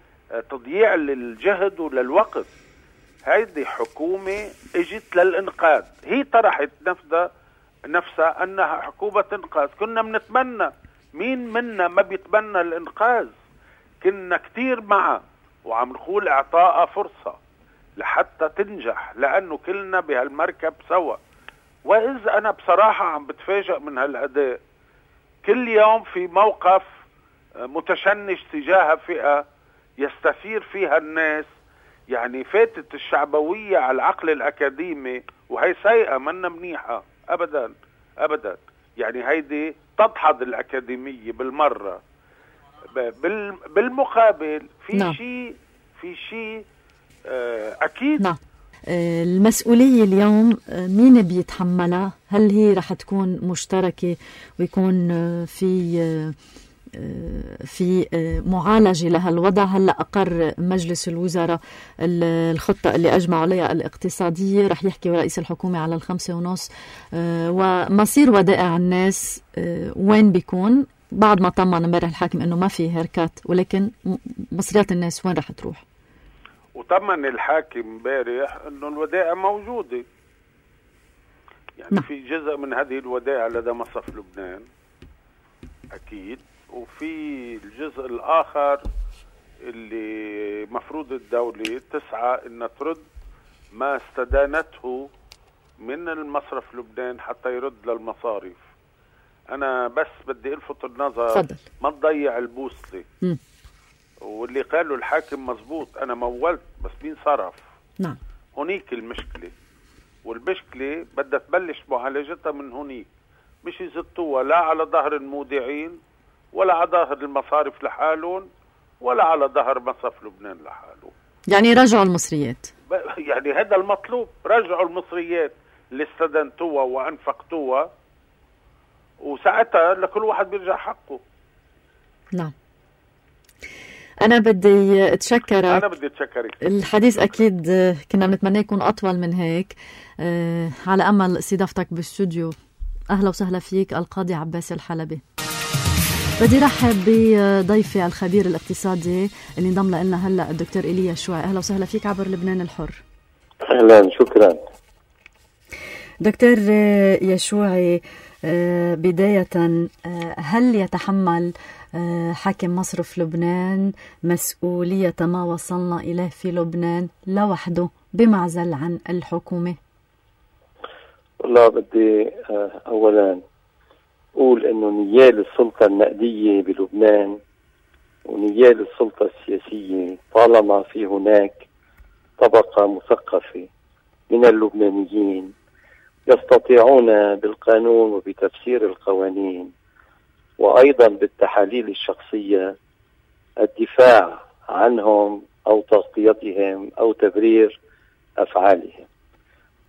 تضييع للجهد وللوقت. هيدي حكومة اجت للإنقاذ، هي طرحت نفسها أنها حكومة إنقاذ. كنا بنتمنى، مين منا ما بيتمنى الإنقاذ؟ كنا كتير معها وعم نقول إعطاء فرصة لحتى تنجح، لأنه كلنا بهالمركب سوا. وإذا أنا بصراحة عم بتفاجأ من هالأداء، كل يوم في موقف متشنج تجاه فئة يستثير فيها الناس، يعني فاتت الشعبوية على العقل الأكاديمي، وهي سيئة منا منيحة أبدا أبدا. يعني هيدي تدحض الأكاديمية بالمرة. بالمقابل في شيء أكيد. نعم. المسؤولية اليوم مين بيتحملها؟ هل هي رح تكون مشتركة ويكون في معالجة لهالوضع؟ هلأ أقر مجلس الوزراء الخطة اللي أجمع عليها الاقتصادية، رح يحكي رئيس الحكومة على 5.5، ومصير ودائع الناس وين بيكون؟ بعد ما طمن امبارح الحاكم انه ما في هيركات، ولكن مصريات الناس وين رح تروح؟ وطمن الحاكم امبارح انه الودائع موجودة، يعني في جزء من هذه الودائع لدى مصرف لبنان اكيد، وفي الجزء الاخر اللي مفروض الدولة تسعى انها ترد ما استدانته من المصرف لبنان حتى يرد للمصارف. انا بس بدي الفت النظر، فضل. ما تضيع البوصلة. واللي قاله الحاكم مزبوط، انا مولت بس مين صرف؟ نعم. هنيك المشكلة، والمشكلة بدها تبلش معالجتها من هنيك، مش يزتوها لا على ظهر المودعين ولا على ظهر المصارف لحالهم ولا على ظهر مصرف لبنان لحاله. يعني رجعوا المصريات، يعني هذا المطلوب، رجعوا المصريات اللي استدنتوها وانفقتوها، وساعتها لكل واحد بيرجع حقه. نعم. أنا بدي أتشكرك. أنا بدي أتشكرك. الحديث أكيد كنا بنتمنى يكون أطول من هيك، على أمل استضافتك بالاستوديو. أهلا وسهلا فيك القاضي عباس الحلبي. بدي رحب بضيفي الخبير الاقتصادي اللي انضم لنا هلا الدكتور إيليا يشوعي. أهلا وسهلا فيك عبر لبنان الحر. أهلا، شكرا. دكتور يشوعي، بداية هل يتحمل حاكم مصرف لبنان مسؤولية ما وصلنا إليه في لبنان لوحده بمعزل عن الحكومة؟ والله بدي أولا أقول أنه نيال السلطة النقدية بلبنان ونيال السلطة السياسية طالما في هناك طبقة مثقفة من اللبنانيين يستطيعون بالقانون وبتفسير القوانين وأيضا بالتحاليل الشخصية الدفاع عنهم أو تغطيتهم أو تبرير أفعالهم.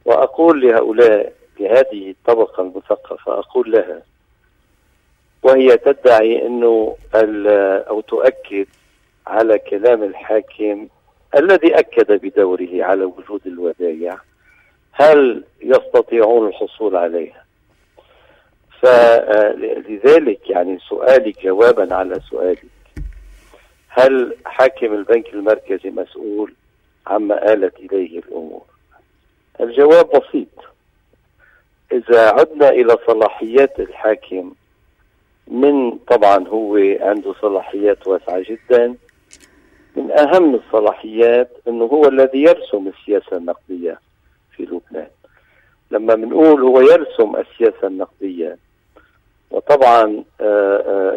وأقول لهؤلاء، لهذه الطبقة المثقفة، أقول لها وهي تدعي أنه أو تؤكد على كلام الحاكم الذي أكد بدوره على وجود الودائع، هل يستطيعون الحصول عليها؟ فلذلك يعني سؤالي جوابا على سؤالك، هل حاكم البنك المركزي مسؤول عما آلت إليه الأمور؟ الجواب بسيط. إذا عدنا إلى صلاحيات الحاكم، من طبعا هو عنده صلاحيات واسعة جدا، من أهم الصلاحيات أنه هو الذي يرسم السياسة النقدية في لبنان. لما بنقول هو يرسم السياسة النقدية وطبعا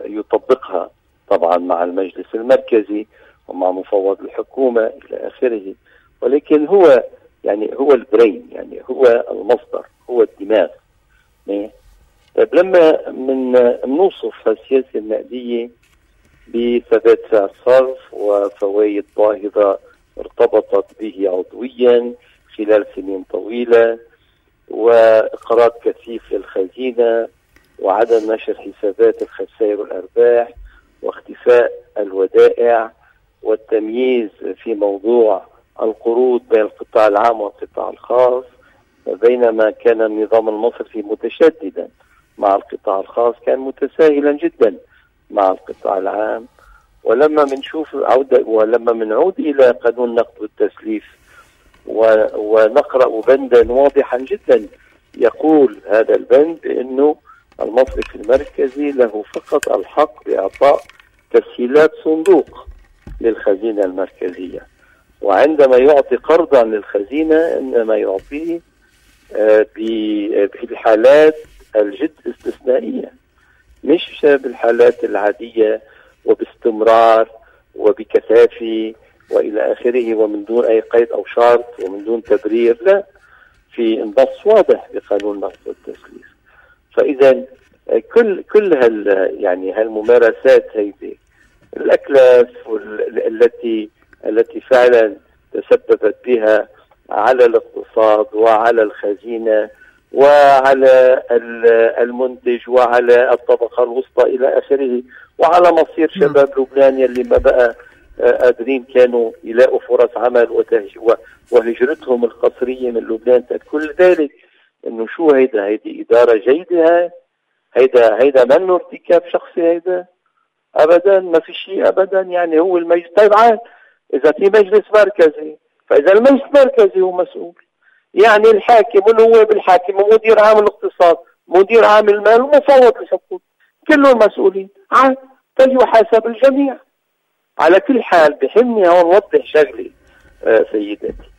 يطبقها طبعا مع المجلس المركزي ومع مفوض الحكومة إلى آخره، ولكن هو يعني هو البرين، يعني هو المصدر، هو الدماغ. طيب لما نوصف السياسة النقدية بثبات سعر صرف وفوائد باهظة ارتبطت به عضويا خلال سنين طويلة وإقراض كثيف للخزينة وعدم نشر حسابات الخسائر والأرباح واختفاء الودائع والتمييز في موضوع القروض بين القطاع العام والقطاع الخاص، بينما كان النظام المصرفي متشددا مع القطاع الخاص كان متساهلا جدا مع القطاع العام. ولما بنعود إلى قانون النقد والتسليف ونقرأ بندا واضحا جدا يقول هذا البند بأنه المصرف المركزي له فقط الحق بإعطاء تسهيلات صندوق للخزينة المركزية، وعندما يعطي قرضا للخزينة إنما يعطيه بالحالات الجد استثنائية، مش بالحالات العادية وباستمرار وبكثافة وإلى آخره ومن دون أي قيد أو شرط ومن دون تبرير. لا، في نص واضح بقانون النقد والتسليف. فإذا كل هالممارسات هذه الأكلاف التي فعلا تسببت بها على الاقتصاد وعلى الخزينة وعلى المنتج وعلى الطبقة الوسطى إلى آخره وعلى مصير شباب لبنان يلي ما بقى قادرين كانوا يلاقوا فرص عمل وهجرتهم القسرية من لبنان. كل ذلك انه شو هيدي إدارة جيدة، هيدا منه ارتكاب شخصي، هيدا ابدا ما في شيء ابدا. يعني هو المجلس، طيب عاد اذا في مجلس مركزي فاذا المجلس المركزي هو مسؤول، يعني الحاكم والنواب الحاكم ومدير عام الاقتصاد مدير عام المال ومفوض الحقوق كلهم مسؤولين، عاد فليحاسب الجميع. على كل حال بحمني هون وضح شغلي سيداتي.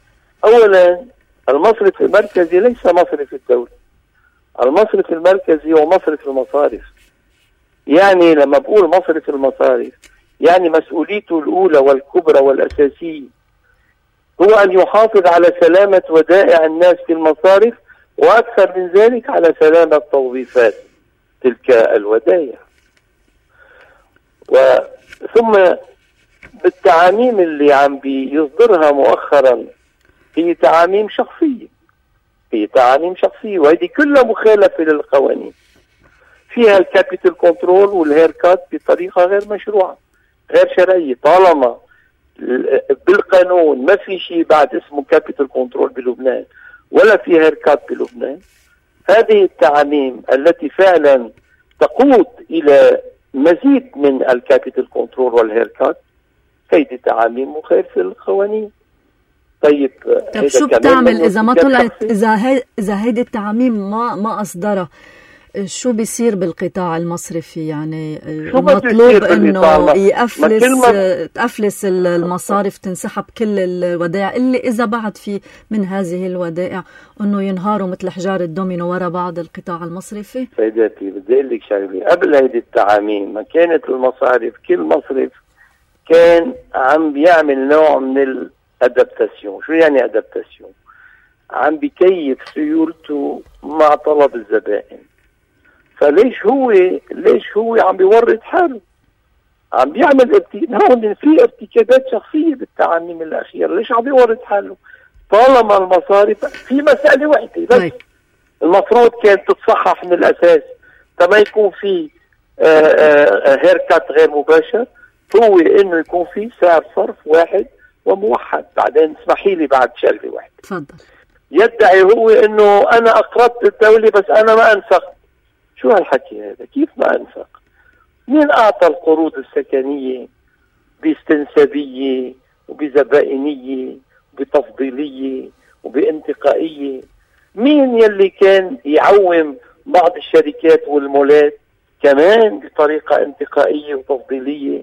اولا المصرف المركزي ليس مصرف الدولة، المصرف المركزي هو مصرف المصارف. يعني لما بقول مصرف المصارف يعني مسؤوليته الأولى والكبرى والأساسية هو أن يحافظ على سلامة ودائع الناس في المصارف، وأكثر من ذلك على سلامة توظيفات تلك الودائع. ثم بالتعاميم اللي عم بيصدرها مؤخرا هي تعاميم شخصية، وهذه كلها مخالفة للقوانين. فيها الكابيتال كنترول والهيركات بطريقة غير مشروعة غير شرعية. طالما بالقانون ما في شيء بعد اسمه كابيتال كنترول بلبنان ولا في هيركات بلبنان، هذه التعاميم التي فعلا تقود إلى مزيد من الكابيتال كنترول والهيركات هذه تعاميم مخالفة للقوانين. طيب شو بتعمل إذا ما طلعت، إذا هيدي التعاميم ما أصدرها، شو بيصير بالقطاع المصرفي؟ يعني مطلوب انه تأفلس المصارف، تنسحب كل الودائع اللي اذا بعد في من هذه الودائع انه ينهاروا مثل حجار الدومينو ورا بعض القطاع المصرفي. سيداتي بدي اقول لك شغله، قبل هيدي التعاميم ما كانت المصارف كل مصرف كان عم بيعمل نوع من الادابتاسيون. شو يعني ادابتاسيون؟ عم بيكيف سيولته مع طلب الزبائن. فليش هو عم بيورط حاله، عم بيعمل هون في ارتكابات شخصية بالتعاميم الأخيرة. ليش عم بيورط حاله؟ طالما المصارف في مسألة واحدة بس المفروض كانت تتصحح من الأساس، فما يكون في هيركات غير مباشر، هو إنه يكون في سعر صرف واحد وموحد. بعدين اسمحي لي بعد شغلة واحدة. تفضل. يدعي هو إنه أنا أقرضت الدولة بس أنا ما أنفقت. شو هالحكي هذا؟ كيف ما أنفق؟ مين أعطى القروض السكنية باستنسابية وبزبائنية وبتفضيلية وبانتقائية؟ مين يلي كان يعوم بعض الشركات والمولات كمان بطريقة انتقائية وتفضيلية؟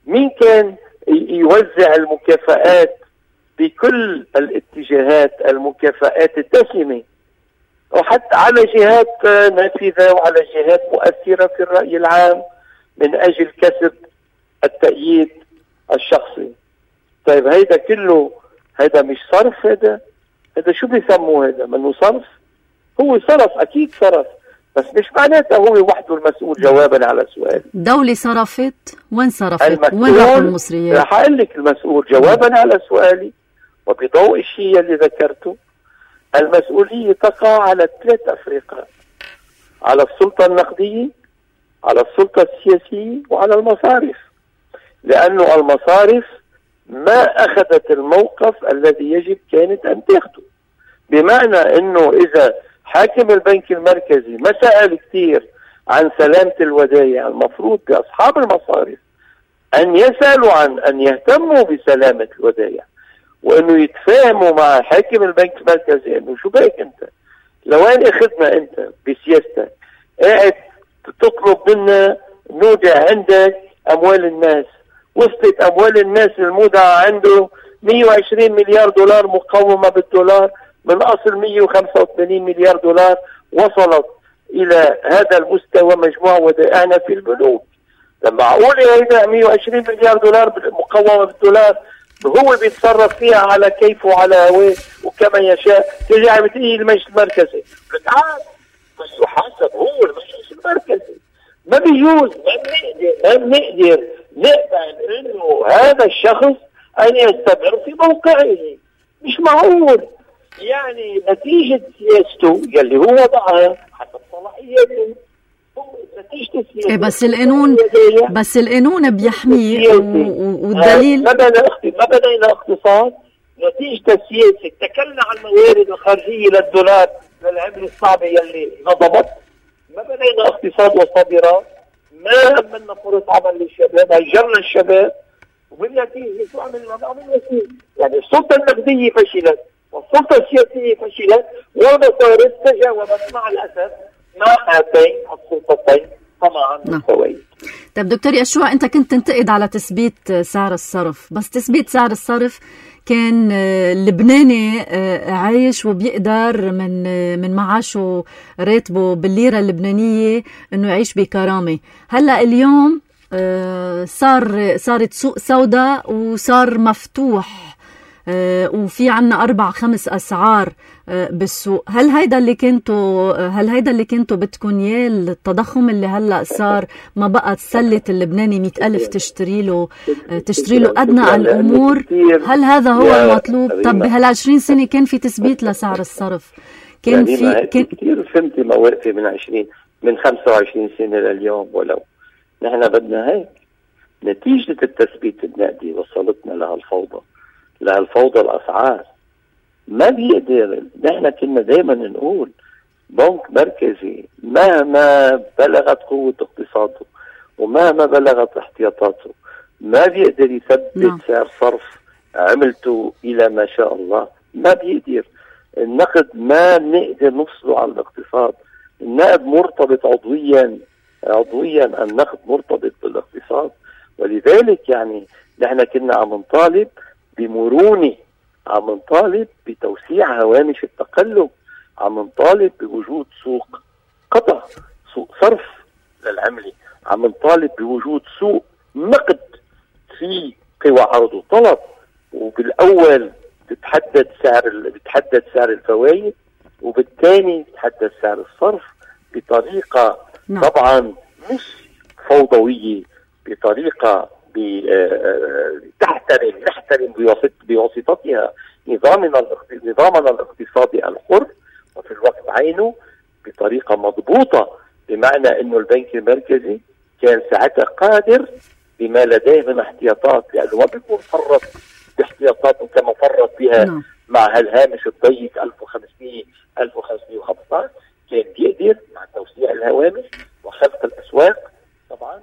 مين كان يوزع المكافآت بكل الاتجاهات، المكافآت الدسمة، وحتى على جهات نافذة وعلى جهات مؤثرة في الرأي العام من أجل كسب التأييد الشخصي؟ طيب هيدا كله هيدا مش صرف؟ هيدا شو بيسموه؟ هيدا منه صرف؟ هو صرف، أكيد صرف، بس مش معناته هو وحده المسؤول. جوابا على سؤالي، دولة صرفت، وين صرفت؟ وين راحوا المصريات؟ رح أقول لك المسؤول جوابا على سؤالي وبضوء الشيء اللي ذكرته. المسؤولية تقع على 3 أفرقاء: على السلطة النقدية، على السلطة السياسية، وعلى المصارف. لأنه المصارف ما أخذت الموقف الذي يجب كانت أن تأخذه. بمعنى أنه إذا حاكم البنك المركزي ما سأل كثير عن سلامة الودائع، المفروض بأصحاب المصارف أن يسألوا عن أن يهتموا بسلامة الودائع، وأنه يتفاهموا مع حاكم البنك المركزي أنه شو بك أنت لوين أخذنا أنت بسياستك قاعد تطلب منا نودع عندك أموال الناس. وصلت أموال الناس المودعة عنده 120 مليار دولار مقومة بالدولار من أصل 185 مليار دولار، وصلت إلى هذا المستوى مجموع ودائعنا في البنوك. لما أقول هيدا 120 مليار دولار مقومة بالدولار هو بيتصرف فيها على كيفه وعلى هواه وكما يشاء، تيجي عم تقول المجلس المركزي بس يحاسب هو المجلس المركزي. ما بيجوز، ما بنقدر نقبل انه هذا الشخص ان يستمر في موقعه. مش معقول. يعني نتيجة سياسته يلي هو وضعها حسب صلاحياته بس القانون بيحميه والدليل ما بدأنا اقتصاد نتيجة السياسة. اتكلنا عن الموارد الخارجية للدولار للعملة الصعبة يلي نضبط. ما بدأنا اقتصاد وصادرات، ما أمنا فرص عمل للشباب، هجرنا الشباب، وبالنتيجة شو عملنا يعني السلطة النقدية فشلت والسلطة السياسية فشلت والمصارف تجاوبت مع الأسف مع هاتين السلطتين طبعا بالسوية. طيب دكتور يشوع، أنت كنت تنتقد على تثبيت سعر الصرف، بس تثبيت سعر الصرف كان اللبناني عايش وبيقدر من معاشه راتبه بالليرة اللبنانية انه يعيش بكرامة. هلأ اليوم صارت سوق سوداء وصار مفتوح وفي عنا 4-5 أسعار بالسوق. هل هيدا اللي كنتوا بدكم اياه؟ التضخم اللي هلأ صار ما بقى تسلة اللبناني 100,000 تشتري له أدنى الأمور. هل هذا هو المطلوب؟ طب بهال20 سنة كان في تثبيت لسعر الصرف، كان في كثير فهمتي مواقفي من 25 سنة لليوم. ولو نحن بدنا هيك نتيجة التثبيت النقدي وصلتنا لهالفوضى الأسعار. ما بيقدر. نحن كنا دايما نقول بنك مركزي مهما بلغت قوة اقتصاده ومهما بلغت احتياطاته ما بيقدر يثبت سعر صرف عملته إلى ما شاء الله. ما بيقدر. النقد ما نقدر نفصله عن الاقتصاد. النقد مرتبط عضويا النقد مرتبط بالاقتصاد. ولذلك يعني نحن كنا عم نطالب بمرونة، عم نطالب بتوسيع هوامش التقلب، عم نطالب بوجود سوق قطع، سوق صرف للعملة، عم نطالب بوجود سوق نقد في قوى عرض وطلب. وبالأول بتحدد سعر الفوائد، وبالثاني بتحدد سعر الصرف بطريقة طبعا مش فوضوية، بطريقة نحترم بواسطتها نظامنا الاقتصادي الحر، وفي الوقت عينه بطريقة مضبوطة، بمعنى انه البنك المركزي كان ساعتها قادر بما لديه من احتياطات، لانه ما بيكون فرط باحتياطاته كما فرط بها مع هالهامش الضيق 1515. كان بيقدر مع توسيع الهوامش وخلق الاسواق طبعا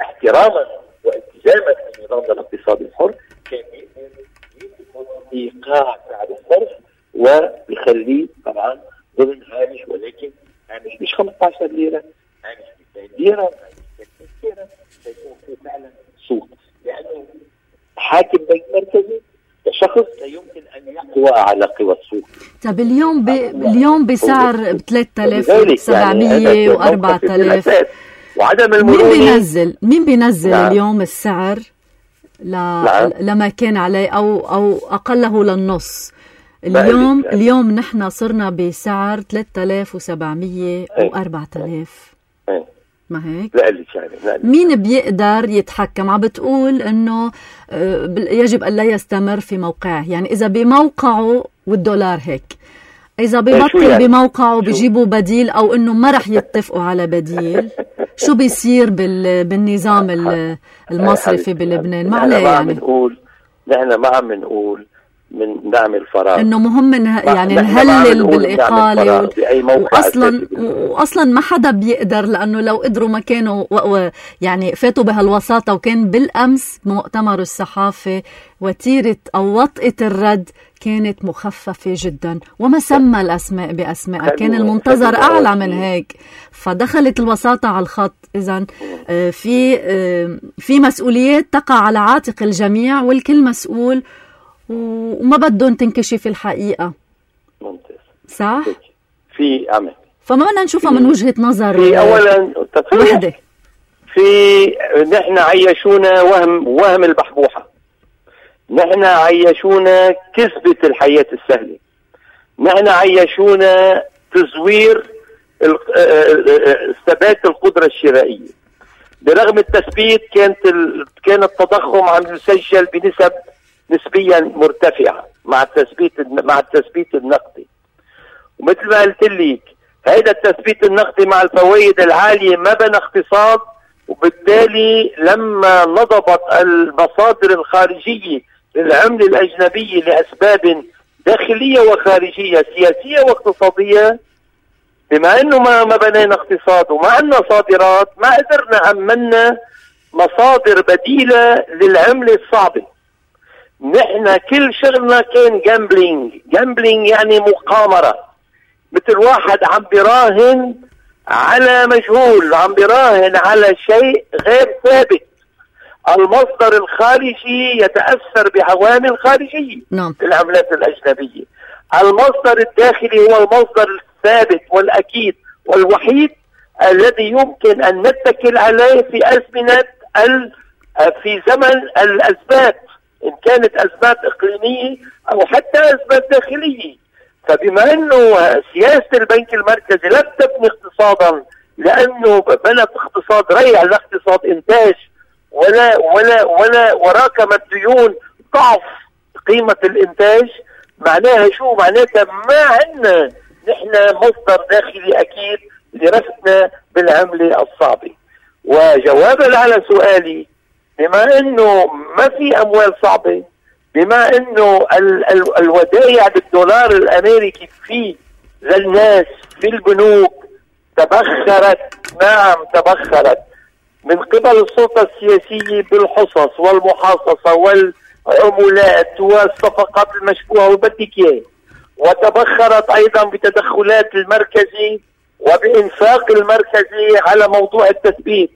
احتراما والتزاما بنظامنا الاقتصادي الحر، كان بيقدر ايقاع سعر الصرف وبيخليه طبعا ضمن هامش، ولكن هامش مش 15 ليره، هامش 200 ليره، هامش 30 ليره، سيكون في فعلا سوق. لانه حاكم بنك مركزي كشخص لا يمكن ان يقوى على قوى السوق. طب اليوم بسعر 3700 و 4000 وعدم المرونة. مين بينزل اليوم السعر لما كان عليه او اقله للنص؟ اليوم نحن صرنا بسعر 3700 و 4000. ما هيك؟ مين بيقدر يتحكم؟ عم بتقول انه يجب ان لا يستمر في موقعه، يعني اذا بموقعه والدولار هيك، اذا بيبطل يعني؟ بموقعه بيجيبوا بديل، او انه ما رح يتفقوا على بديل. شو بيصير بالنظام المصرفي بلبنان؟ ما عليه يعني. نحن ما عم نقول من نعمل فراغ، انه مهم يعني نهلل بالاقاله واصلا ما حدا بيقدر، لانه لو قدروا ما كانوا يعني فاتوا بهالوساطه. وكان بالامس بمؤتمر الصحافه وتيره او وطئه الرد كانت مخففه جدا، وما سمى الاسماء باسماء، كان المنتظر اعلى من هيك، فدخلت الوساطه على الخط. اذا في مسؤوليات تقع على عاتق الجميع والكل مسؤول، وما بدهم تنكشف الحقيقة. ممتاز، صح؟ في عمل، فما بدنا نشوفها من وجهة نظر في أولا وحدة. نحن عيشونا وهم البحبوحة، نحن عيشونا كذبة الحياة السهلة، نحن عيشونا تزوير ثبات القدرة الشرائية. برغم التثبيت كان التضخم عم يسجل بنسب نسبيا مرتفعة مع التثبيت النقدي. ومثل ما قلت لك، هذا التثبيت النقدي مع الفوائد العالية ما بنى اقتصاد، وبالتالي لما نضبط المصادر الخارجية للعملة الأجنبية لأسباب داخلية وخارجية سياسية واقتصادية، بما انه ما بنينا اقتصاد وما عندنا صادرات، ما قدرنا أمنا مصادر بديلة للعملة الصعبة. نحن كل شغلنا كان جامبلينج يعني مقامرة، مثل واحد عم بيراهن على مجهول، عم بيراهن على شيء غير ثابت. المصدر الخارجي يتأثر بعوامل خارجية في العملات الأجنبية، المصدر الداخلي هو المصدر الثابت والأكيد والوحيد الذي يمكن أن نتكل عليه في زمن الأزمات، إن كانت أزمات إقليمية أو حتى أزمات داخلية. فبما أنه سياسة البنك المركزي لم تبني اقتصادا، لأنه بنت اقتصاد ريع، لا اقتصاد إنتاج ولا وراكم الديون ضعف قيمة الإنتاج، معناها شو؟ معناتها ما عندنا نحن مصدر داخلي أكيد لرفعنا بالعملة الصعبة. وجوابا على سؤالي، بما انه ما في اموال صعبة، بما انه الودائع بالدولار الامريكي للناس في البنوك تبخرت، نعم تبخرت من قبل السلطة السياسية بالحصص والمحاصصة والعمولات والصفقات المشبوهة وبدك اياه، وتبخرت ايضا بتدخلات المركزي وبإنفاق المركزي على موضوع التثبيت،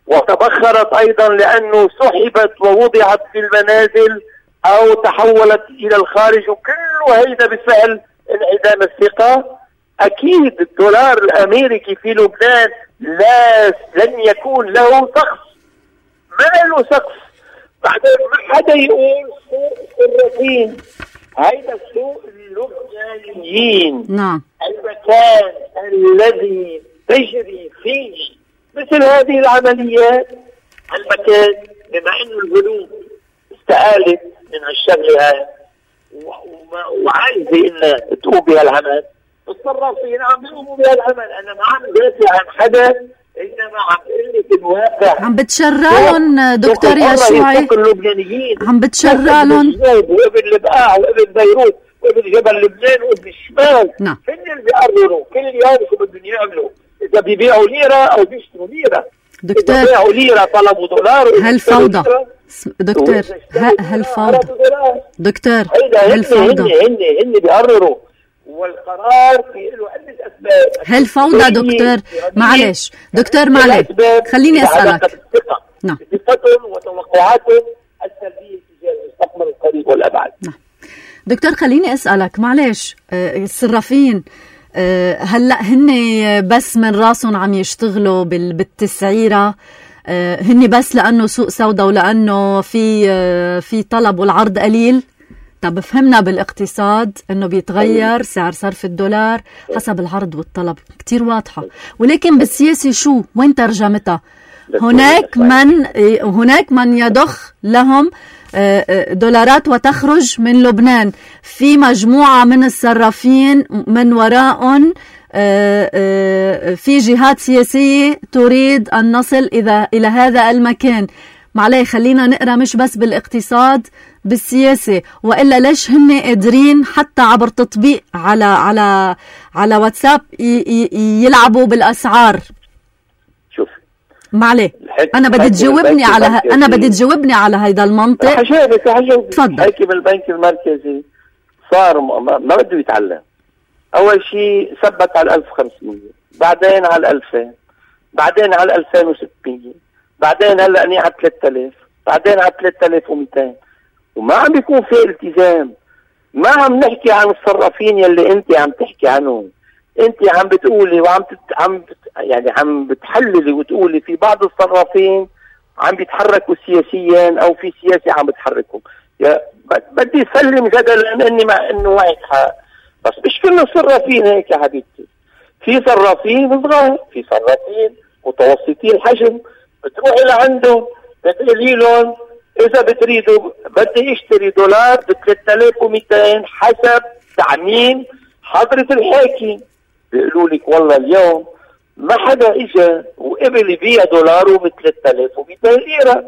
وتبخرت ايضا لانه سحبت ووضعت في المنازل او تحولت الى الخارج، وكل هذا بفعل انعدام الثقة. اكيد الدولار الامريكي في لبنان لن يكون له سقف، ما له سقف. بعدين ما حدا يقول سوق الصرافين، هيدا السوق اللبنانيين، نعم، المكان الذي تجري فيه مثل هذه العمليات، المكان بما انه البنوك استقالت من هالشغله هاي وعايزه انها تقوم بهالعمل، الصرافين عم بيقوموا بهالعمل. انا ما عم بدافع عن حدا، انما عم بقول لك الواقع، عم بتشرعهم دكتور يشوعي، عم بتشرعهم وابن البقاع وابن بيروت وابن جبل لبنان وابن الشمال، نعم، هن اللي بيقرروا كل يوم شو بدهم يعملوا، اذا بيبيعوا ليره او بيشتروا ليره. دكتور، اذا بيعوا ليره طلبوا دولار. هالفوضى دكتور، هالفوضى دكتور، هالفوضى هن بيقرروا، والقرار في له عدة أسباب. هالفوضى دكتور، معلش دكتور، معلش خليني أسألك. نعم، ثقتهم وتوقعاتهم السلبية تجاه المستقبل القريب والأبعد. نعم دكتور، خليني أسألك معلش، الصرافين هلأ هن بس من راسهم عم يشتغلوا بالتسعيرة، هن بس لأنه سوق سودا ولأنه في طلب والعرض قليل؟ طب فهمنا بالاقتصاد انه بيتغير سعر صرف الدولار حسب العرض والطلب، كتير واضحة. ولكن بالسياسة شو؟ وين ترجمتها؟ هناك من يضخ لهم دولارات وتخرج من لبنان، في مجموعة من الصرافين من وراء في جهات سياسية تريد أن نصل إلى هذا المكان. معلي خلينا نقرأ مش بس بالاقتصاد، بالسياسة، وإلا ليش هن قادرين حتى عبر تطبيق على واتساب يلعبوا بالأسعار؟ شوف معلي أنا بدي تجاوبني على هيدا المنطق. حجاوبك تفضل. حاكم البنك المركزي صار ما بده يتعلم. أول شيء ثبت على 1500، بعدين على 2000، بعدين على 2600، بعدين هلا أني على 3000، بعدين على 3200، وما عم بيكون في التزام. ما عم نحكي عن الصرافين يلي أنت عم تحكي عنهم. أنت عم بتقولي عم بتحللي وتقولي في بعض الصرافين عم بيتحركوا سياسيا أو في سياسي عم بتحركهم. بدي سلم جدلا اني مع انه معك حق، بس مش كل الصرافين هيك يا حبيبتي. في صرافين صغار، في صرافين متوسطي الحجم، بتروحي لعنده بتقولي لهم اذا بتريدوا بدي اشتري دولار ب 3200 حسب تعميم حضرة الحاكم. بيقولوا لك والله اليوم ما حدا اجى وقبل يبيع دولاره ب 3200 ليرة.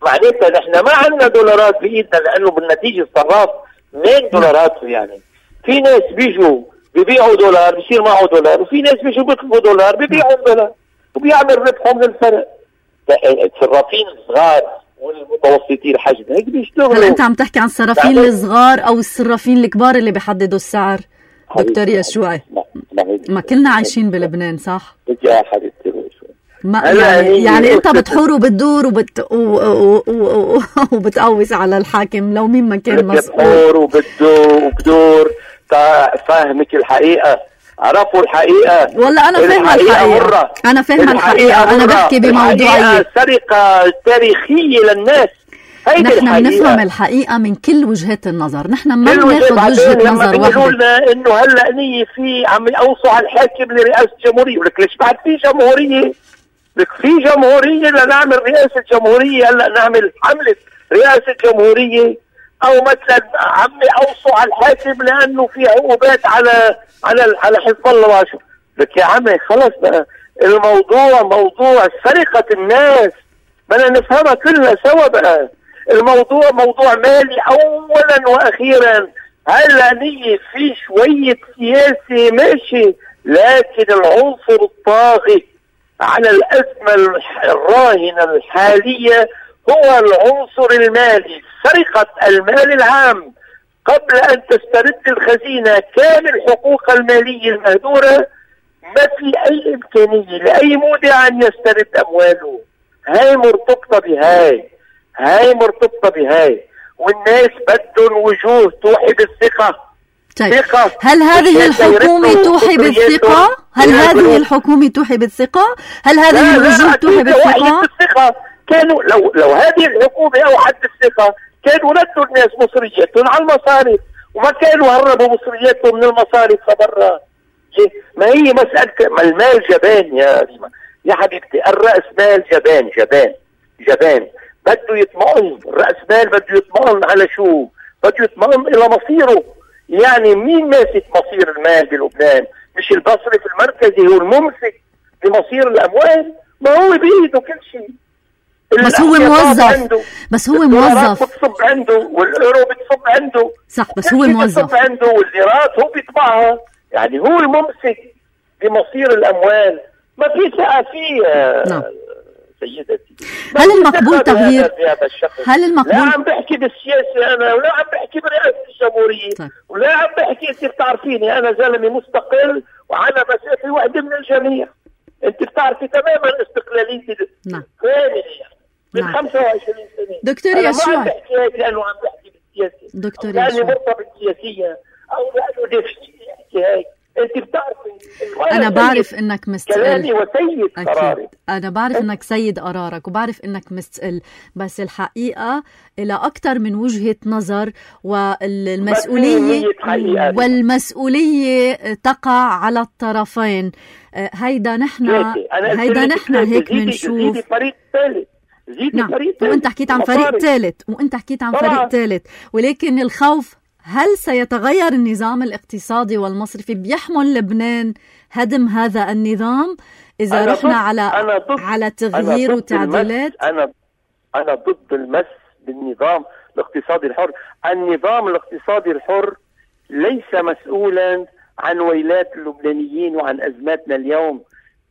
معناتها نحن ما عندنا دولارات بايدنا، لانه بالنتيجه الصراف مين دولارات يعني. في ناس بيجوا ببيعوا دولار بصير معه دولار، وفي ناس بيجوا بيطلبوا دولار ببيعوا دولار وبيعمل ربحهم من الفرق. الصرافين الصغار والمتوسطين الحجم هيك بيشتغلوا. هل انت عم تحكي عن الصرافين الصغار او الصرافين الكبار اللي بيحددوا السعر دكتور يشوع؟ ما كلنا عايشين بلبنان صح؟ يا حبيبتي يعني انت بتحور وبتدور وبتقوس على الحاكم لو مين ما كان مسؤول. بتحور وبدور فاهمك الحقيقة، عرفوا الحقيقة. والله انا فاهمة الحقيقة، انا فاهمة الحقيقة، انا بحكي بموضوعية. سرقة تاريخية للناس. نحن بنفهم الحقيقة من كل وجهات النظر، نحن ما بناخذ وجهة نظر واحدة. بيقولوا لنا انه هلا نية في عم يوصوا على الحاكم لرئاسة الجمهورية، ولك ليش بعد في جمهورية؟ لك في جمهورية لنعمل رئاسة جمهورية، هلا نعمل حملة رئاسة جمهورية، او مثلا عمي اوصوا على الحاكم لانه في عقوبات على حزب الله وعشو. لك يا عمي خلص بقى، الموضوع موضوع سرقة الناس بدنا نفهمها كلها سوا بقى. الموضوع موضوع مالي اولا واخيرا. هلا نيجي في شوية سياسة ماشي، لكن العنصر الطاغي على الأزمة الراهنة الحالية هو العنصر المالي. سرقة المال العام قبل أن تسترد الخزينة كامل حقوق المالية المهدورة. ما في أي إمكانية لأي مودع أن يسترد أمواله. هاي مرتبطة بهاي، والناس بدهم وجوه توحي بالثقة. طيب. هل هذه الحكومة توحي بالثقة؟ هل هذه الحكومة توحي بالثقة؟ هل هذه الوجوه توحي بالثقة؟ كانوا لو هذه الحكومة أوحت بالثقة كانوا ردوا الناس مصرياتهم على المصارف، وما كانوا هربوا مصرياتهم من المصارف فبرا. ما هي مسألة المال جبان يا ريما يا حبيبتي. الرأس مال جبان بده يطمئن. الرأس مال بده يطمئن على شو؟ بده يطمئن إلى مصيره. يعني مين ماسك مصير المال بلبنان؟ مش المصرف المركزي هو الممسك بمصير الأموال؟ ما هو بإيده كل شيء. بس هو موظف بتصب عنده، والأورو بتصب عنده. صح، بس هو موظف بتصب عنده، والليرات هو بيطبعها. يعني هو الممسك بمصير الأموال. ما في ثقة فيه. نعم سيدتي. هل المقبول تغيير؟ هل المقبول؟ لا عم بحكي بالسياسة أنا، ولا عم بحكي برئاسة الجمهورية. طيب. ولا عم بحكي، أنت بتعرفيني أنا زلمة مستقل وعلى مسافة واحدة من الجميع. أنت بتعرفي تماما استقلاليتي. نعم. من 25 سنة. دكتور يشوع، ما عم بحكي هيك لأنه عم بحكي بالسياسة. دكتور يشوع، لأني مرتبط سياسيا أو لأنه نفسي أحكي هيك. انت بتعرفي انا بعرف انك مستقل. كلامي وسيد قراري. انا بعرف انك سيد قرارك، وبعرف انك مستقل، بس الحقيقة الى اكثر من وجهة نظر، والمسؤولية تقع على الطرفين. هيدا نحن هيك بنشوف. زيدي فريق ثالث. نعم. وانت حكيت عن فريق ثالث، ولكن الخوف هل سيتغير النظام الاقتصادي والمصرفي بيحمل لبنان هدم هذا النظام إذا رحنا على تغيير وتعديلات؟ أنا ضد المس بالنظام. الاقتصادي الحر. النظام الاقتصادي الحر ليس مسؤولا عن ويلات اللبنانيين وعن أزماتنا اليوم.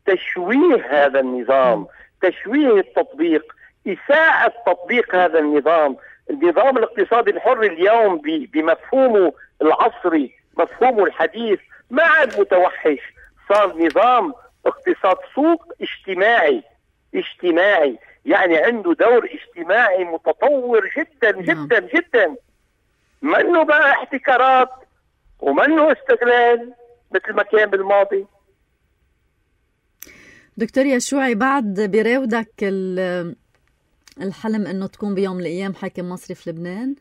تشويه هذا النظام، تشويه التطبيق، إساءة تطبيق هذا النظام. النظام الاقتصادي الحر اليوم بمفهومه العصري، مفهومه الحديث، ما عاد متوحش، صار نظام اقتصاد سوق اجتماعي، يعني عنده دور اجتماعي متطور جدا جدا جدا، منه بقى احتكارات ومنه استغلال مثل ما كان بالماضي. دكتور يشوعي، بعد بيراودك الحلم انه تكون بيوم من الايام حاكم مصري في لبنان؟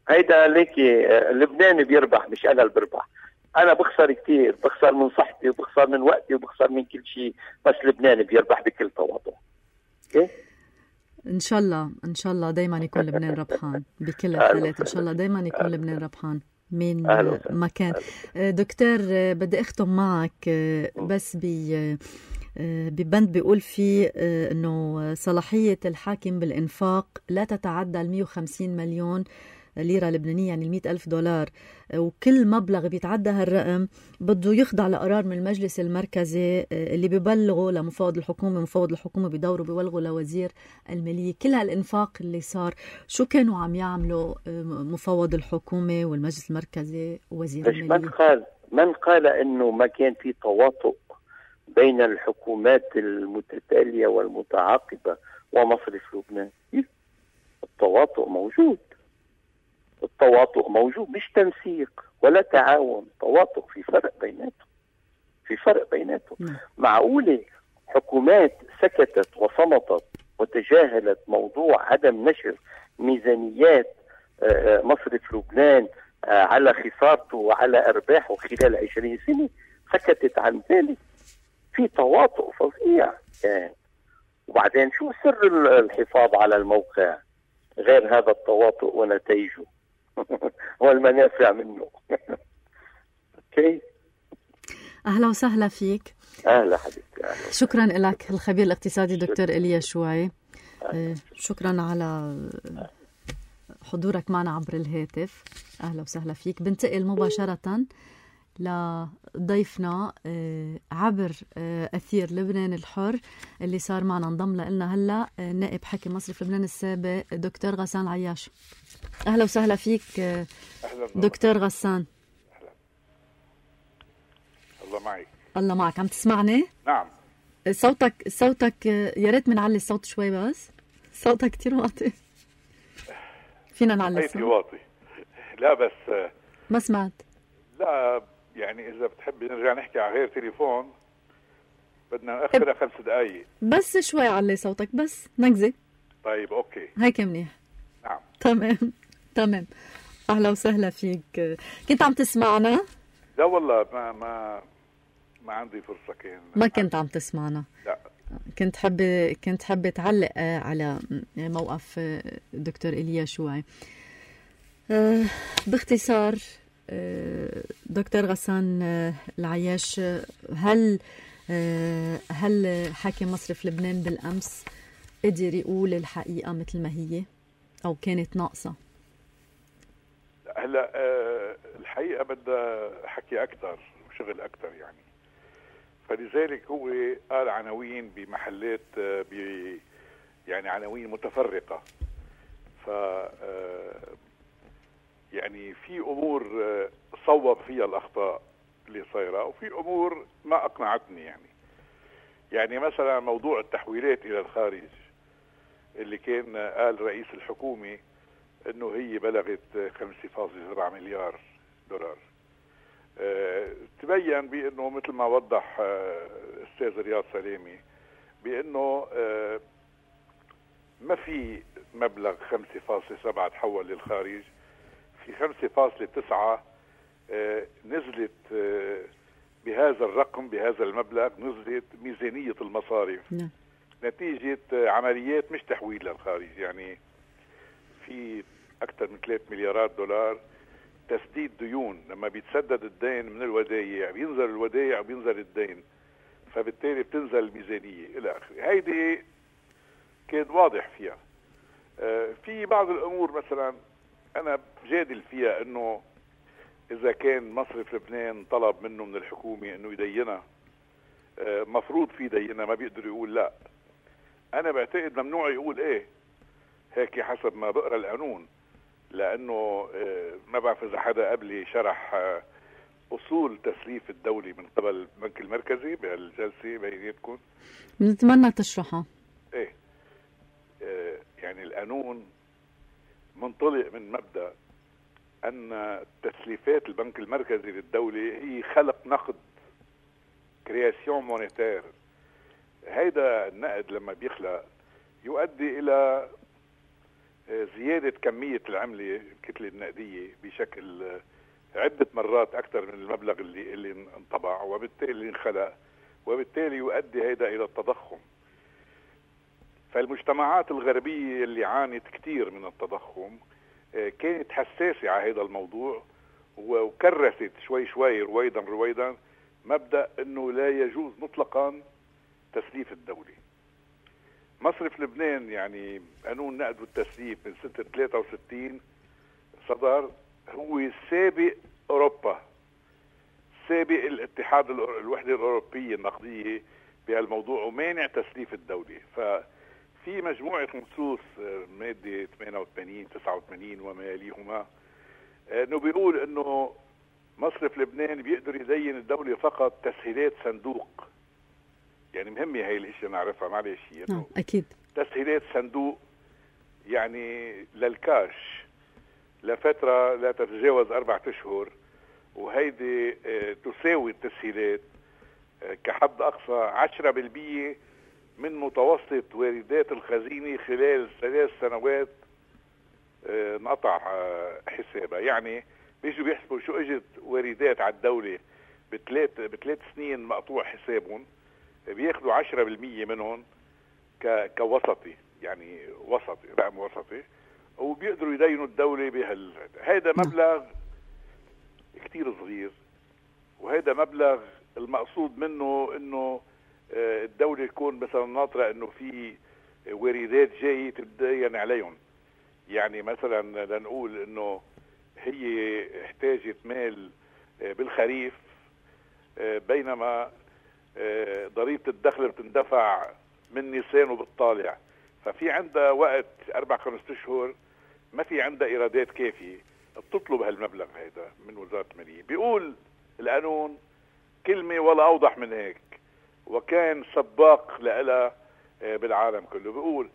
هيدا ليكي لبنان بيربح مش انا اللي بربح. انا بخسر كتير، بخسر من صحتي وبخسر من وقتي وبخسر من كل شيء، بس لبنان بيربح بكل تواضع. اوكي، ان شاء الله دايما يكون لبنان ربحان بكل الحالات. ان شاء الله دايما يكون لبنان ربحان من مكان. دكتور، بدي اختم معك بس ببند بيقول فيه انه صلاحية الحاكم بالإنفاق لا تتعدى 150 مليون ليرة لبنانية، يعني 100,000 دولار، وكل مبلغ بيتعدى هالرقم بده يخضع لقرار من المجلس المركزي اللي بيبلغوا لمفوض الحكومة، مفوض الحكومة بيدوروا بيبلغوا لوزير المالية. كل هالإنفاق اللي صار شو كانوا عم يعملوا مفوض الحكومة والمجلس المركزي ووزير المالية؟ من قال انه ما كان في تواطؤ بين الحكومات المتتالية والمتعاقبة ومصرف لبنان؟ التواطؤ موجود، مش تنسيق ولا تعاون، تواطؤ، في فرق بيناتهم. معقولة حكومات سكتت وصمتت وتجاهلت موضوع عدم نشر ميزانيات مصرف لبنان على خسارته وعلى أرباحه خلال 20 سنة؟ سكتت عن ذلك. في تواطؤ فظيع كان. وبعدين شو سر الحفاظ على الموقع غير هذا التواطؤ ونتائجه والمنافع منه؟ اوكي، اهلا وسهلا فيك. اهلا حبيبتي، أهلا. شكرا لك الخبير الاقتصادي دكتور إيليا شوعي. شكرا على حضورك معنا عبر الهاتف. اهلا وسهلا فيك. بنتقل مباشرة لضيفنا عبر أثير لبنان الحر اللي صار معنا، انضم لنا هلا نائب حاكم مصرف لبنان السابق دكتور غسان عياش. أهلا وسهلا فيك دكتور غسان. أهلا. الله معك. الله معك. عم تسمعني؟ نعم. صوتك يا ريت منعلي الصوت شوي، بس صوتك كتير واطي. فينا نعلي الصوت؟ واطي. لا بس ما سمعت. لا يعني إذا بتحبي نرجع نحكي على غير تليفون بدنا نأخرها 5 دقايق. بس شوي علي صوتك، بس نكزة. طيب أوكي، هيك منيح. نعم تمام. أهلا وسهلا فيك. كنت عم تسمعنا؟ لا والله ما عندي فرصة. ما كنت عم تسمعنا؟ لا. كنت حابة تعلق على موقف دكتور إيليا شوعي. باختصار دكتور غسان العياش، هل حاكم مصرف لبنان بالأمس قدر يقول الحقيقة مثل ما هي أو كانت ناقصة؟ هلا الحقيقة بدها حكي أكتر وشغل أكتر يعني. فلذلك هو قال عناوين بمحلات يعني عناوين متفرقة. ف يعني في أمور صوب فيها الأخطاء اللي صايرة، وفي أمور ما أقنعتني يعني مثلا موضوع التحويلات إلى الخارج اللي كان قال رئيس الحكومة إنه هي بلغت 5.7 مليار دولار. تبين بأنه مثل ما وضح أستاذ رياض سلامي بأنه ما في مبلغ 5.7 تحول للخارج، في 5.9 نزلت بهذا الرقم، بهذا المبلغ نزلت ميزانية المصارف نتيجة عمليات مش تحويل للخارج. يعني في أكثر من 3 مليارات دولار تسديد ديون. لما بيتسدد الدين من الودايع بينزل الودايع وبينزل الدين، فبالتالي بتنزل الميزانية إلى آخره. هيدي كان واضح فيها. في بعض الأمور مثلا أنا بجادل فيها إنه إذا كان مصرف لبنان طلب منه من الحكومة إنه يدينها، مفروض في دينها، ما بيقدر يقول لا. أنا بعتقد ممنوع يقول إيه، هيك حسب ما بقرأ القانون، لأنه ما بعرف إذا حدا قبلي شرح أصول تسليف الدولي من قبل البنك المركزي بهالجلسة بيناتكم. بنتمنى تشرحها. إيه، يعني القانون منطلق من مبدأ أن تسليفات البنك المركزي للدولة هي خلق نقد، كرياسيون مونيتير. هيدا النقد لما بيخلق يؤدي إلى زيادة كمية العملة الكتلة النقدية بشكل عدة مرات أكثر من المبلغ اللي انطبع، وبالتالي انخلق، وبالتالي يؤدي هيدا إلى التضخم. فالمجتمعات الغربية اللي عانت كتير من التضخم كانت حساسة على هذا الموضوع، وكرست شوي شوي رويدا مبدأ أنه لا يجوز مطلقا تسليف الدولة. مصرف لبنان يعني قانون النقد والتسليف من سنة 63 صدر، هو سابق أوروبا، سابق الاتحاد الوحدة الأوروبية النقدية بهالموضوع، ومانع تسليف الدولة. ففي مجموعة نصوص مادة 88 89 وما يليهما انه بيقول انه مصرف لبنان بيقدر يدين الدولة فقط تسهيلات صندوق. يعني مهمة هاي الاشياء نعرفها، معلش اكيد. تسهيلات صندوق يعني للكاش لفترة لا تتجاوز 4 أشهر، وهيدي تساوي التسهيلات كحد أقصى 10% من متوسط واردات الخزينة خلال 3 سنوات نقطع حسابها. يعني بيجوا بيحسبوا شو اجت واردات على الدولة بثلاث سنين مقطوع حسابهم، بياخدوا 10% منهم كوسطي، يعني وسطي، رقم وسطي، وبيقدروا يدينوا الدولة هيدا مبلغ كتير صغير، وهيدا مبلغ المقصود منه انه الدولة تكون مثلا ناطرة انه في واردات جاية تدين عليهم. يعني مثلا لنقول انه هي احتاجت مال بالخريف، بينما ضريبة الدخل بتندفع من نيسان وبالطالع، ففي عندها وقت 4-5 أشهر ما في عندها إيرادات كافية، بتطلب هالمبلغ هيدا من وزارة المالية. بيقول القانون كلمة ولا أوضح من هيك، وكان سباق لها بالعالم كله. بيقول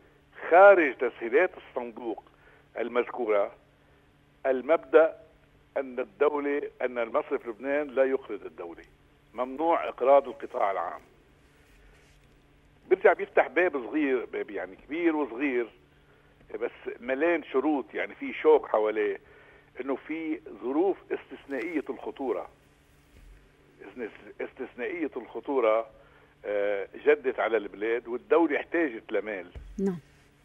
خارج تسهيلات الصندوق المذكورة المبدأ أن المصرف لبنان لا يقرض الدولة، ممنوع إقراض القطاع العام. بيرجع بيفتح باب صغير، باب يعني كبير وصغير، بس ملان شروط، يعني في شوك حواليه، انه في ظروف استثنائية الخطورة. استثنائية الخطورة جدت على البلاد والدولة احتاجت لمال،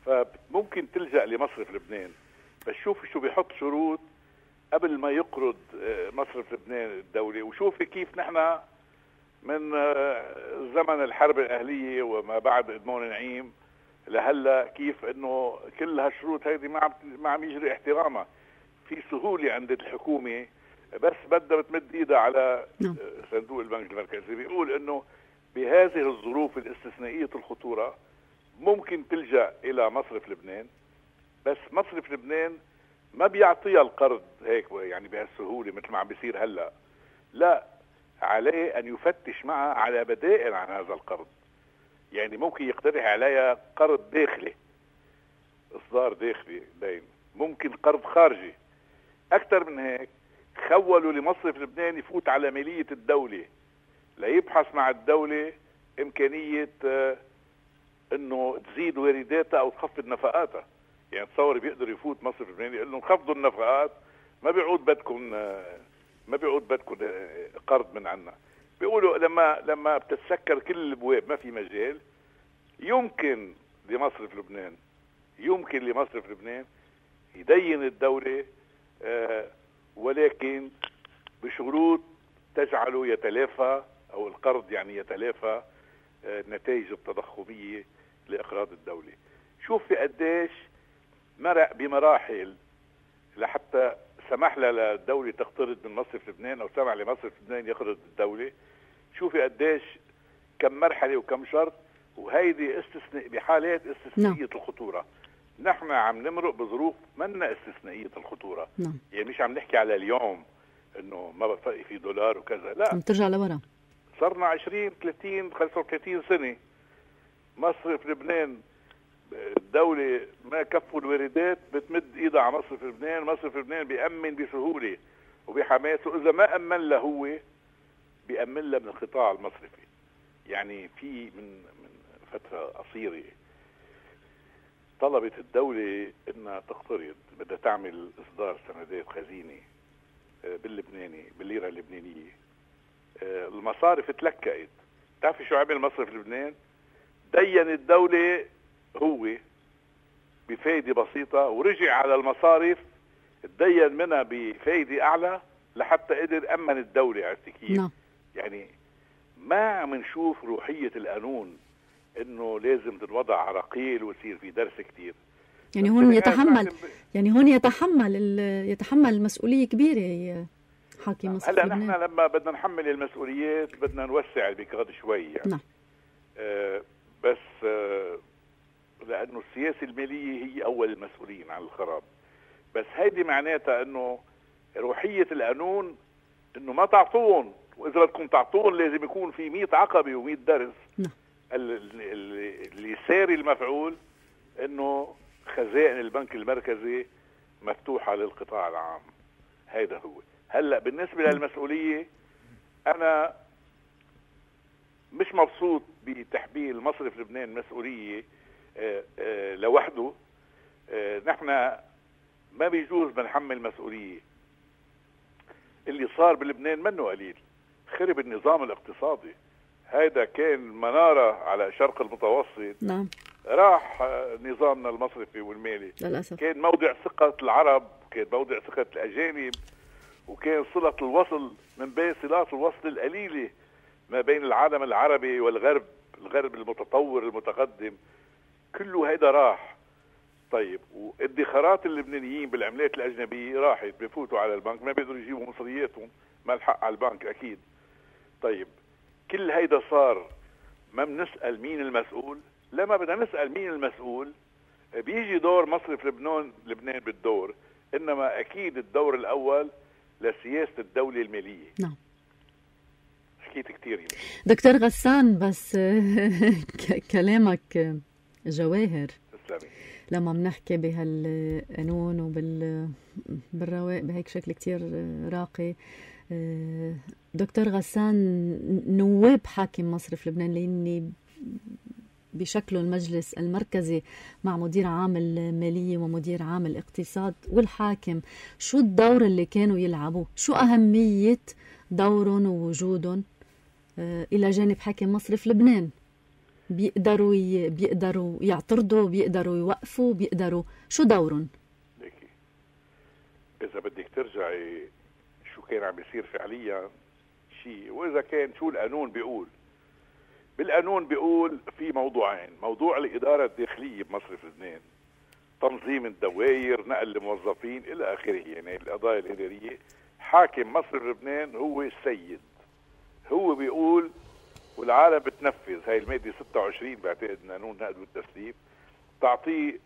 فممكن تلجأ لمصرف لبنان. بس شوفي شو بيحط شروط قبل ما يقرض مصرف لبنان الدولة. وشوفي كيف نحن من زمن الحرب الأهلية وما بعد إدمون نعيم لهلا كيف انه كل هالشروط هيدي ما عم يجري احترامها. في سهولة عند الحكومة بس بدها بتمد ايدها على صندوق البنك المركزي. بيقول انه بهذه الظروف الاستثنائية الخطورة ممكن تلجأ الى مصرف لبنان، بس مصرف لبنان ما بيعطيها القرض هيك يعني بهالسهولة مثل ما عم بيصير هلا. لا، عليه ان يفتش معها على بدائل عن هذا القرض. يعني ممكن يقترح عليها قرض داخلي، اصدار داخلي دين، ممكن قرض خارجي. اكثر من هيك خولوا لمصرف لبنان يفوت على مالية الدولة ليبحث مع الدولة امكانية انه تزيد وارداتها او تخفض نفقاتها. يعني تصور بيقدر يفوت مصرف لبنان يقول لهم خفضوا النفقات، ما بيعود بدكم قرض من عنا. بيقولوا لما بتتسكر كل الابواب ما في مجال، يمكن لمصرف لبنان يدين الدولة، ولكن بشروط تجعله يتلافى، او القرض يعني يتلافى النتائج التضخمية لإقراض الدولة. شوف في قديش مرق بمراحل لحتى سمح للدولة تقترض من مصرف لبنان أو سمح لمصرف لبنان يقرض الدولة. شوفي قديش كم مرحلة وكم شرط، وهيدي بحالات استثنائية الخطورة. نحن عم نمرق بظروف منا استثنائية الخطورة. يعني مش عم نحكي على اليوم انه ما بقى في دولار وكذا، لا، عم ترجع لورا. صرنا 20 30 35 سنة مصرف لبنان الدولة ما كفوا الواردات بتمد ايدها على مصرف لبنان، مصرف لبنان بيأمن بسهولة وبحماس، وإذا ما أمن له هو بيأمن له من القطاع المصرفي. يعني في من فترة قصيرة طلبت الدولة انها تقترض، بدها تعمل اصدار سندات خزينة باللبناني بالليرة اللبنانية. المصارف تلكأت. تعرفي شو عمل مصرف لبنان؟ دين الدولة هو بفايدة بسيطة، ورجع على المصارف تدين منها بفايدة أعلى لحتى قدر أمن الدولة. عرفتي كيف؟ يعني ما عم نشوف روحية القانون إنه لازم تنوضع عراقيل ويصير في درس كتير. يعني هون يتحمل مسؤولية كبيرة حاكم مصر. هلا نحن لما بدنا نحمل المسؤوليات بدنا نوسع البيكاد شوي يعني. نعم. بس لأنه السياسة المالية هي أول المسؤولين عن الخراب. بس هيدي معناتها إنه روحية القانون إنه ما تعطون، وإذا بدكم تعطون لازم يكون في 100 عقبة و100 درس. نعم. اللي ساري المفعول إنه خزائن البنك المركزي مفتوحة للقطاع العام. هيدا هو. هلأ بالنسبة للمسؤولية أنا مش مبسوط بتحميل مصرف لبنان مسؤولية لوحده. نحن ما بيجوز بنحمل مسؤولية. اللي صار بلبنان منه قليل. خرب النظام الاقتصادي. هيدا كان منارة على شرق المتوسط. نعم. راح نظامنا المصرفي والمالي للأسف. كان موضع ثقة العرب، كان موضع ثقة الأجانب، وكان صلة الوصل من بين صلات الوصل القليلة ما بين العالم العربي والغرب، الغرب المتطور المتقدم. كله هيدا راح. طيب وادخارات اللبنانيين بالعملات الأجنبية راحت، بفوتوا على البنك ما بيقدروا يجيبوا مصرياتهم، ما الحق على البنك أكيد. طيب كل هيدا صار، ما بنسأل مين المسؤول؟ لما بدنا نسأل مين المسؤول بيجي دور مصرف لبنان بالدور، إنما أكيد الدور الأول لسياسة الدولة المالية. نعم. حكيت كتير يعني. دكتور غسان، بس كلامك جواهر. تسلمي. لما بنحكي بهالقانون بالرواق بهيك شكل كتير راقي، دكتور غسان، نواب حاكم مصرف لبنان لأني بشكله المجلس المركزي مع مدير عام المالية ومدير عام الاقتصاد والحاكم، شو الدور اللي كانوا يلعبوه؟ شو أهمية دورهم ووجودهم إلى جانب حاكم مصرف لبنان؟ بيقدروا يعترضوا، بيقدروا يوقفوا، بيقدروا، شو دورهم؟ ليكي إذا بدك ترجعي شو كان عم بيصير فعليا شيء، وإذا كان شو القانون بيقول. بالقانون بيقول في موضوعين: موضوع الإدارة الداخلية بمصرف لبنان، تنظيم الدوائر، نقل الموظفين إلى آخره، يعني القضايا الإدارية. حاكم مصرف لبنان هو السيد، هو بيقول والعالم بتنفذ. هاي المادة 26 بعتقد قانون النقد والتسليم تعطيه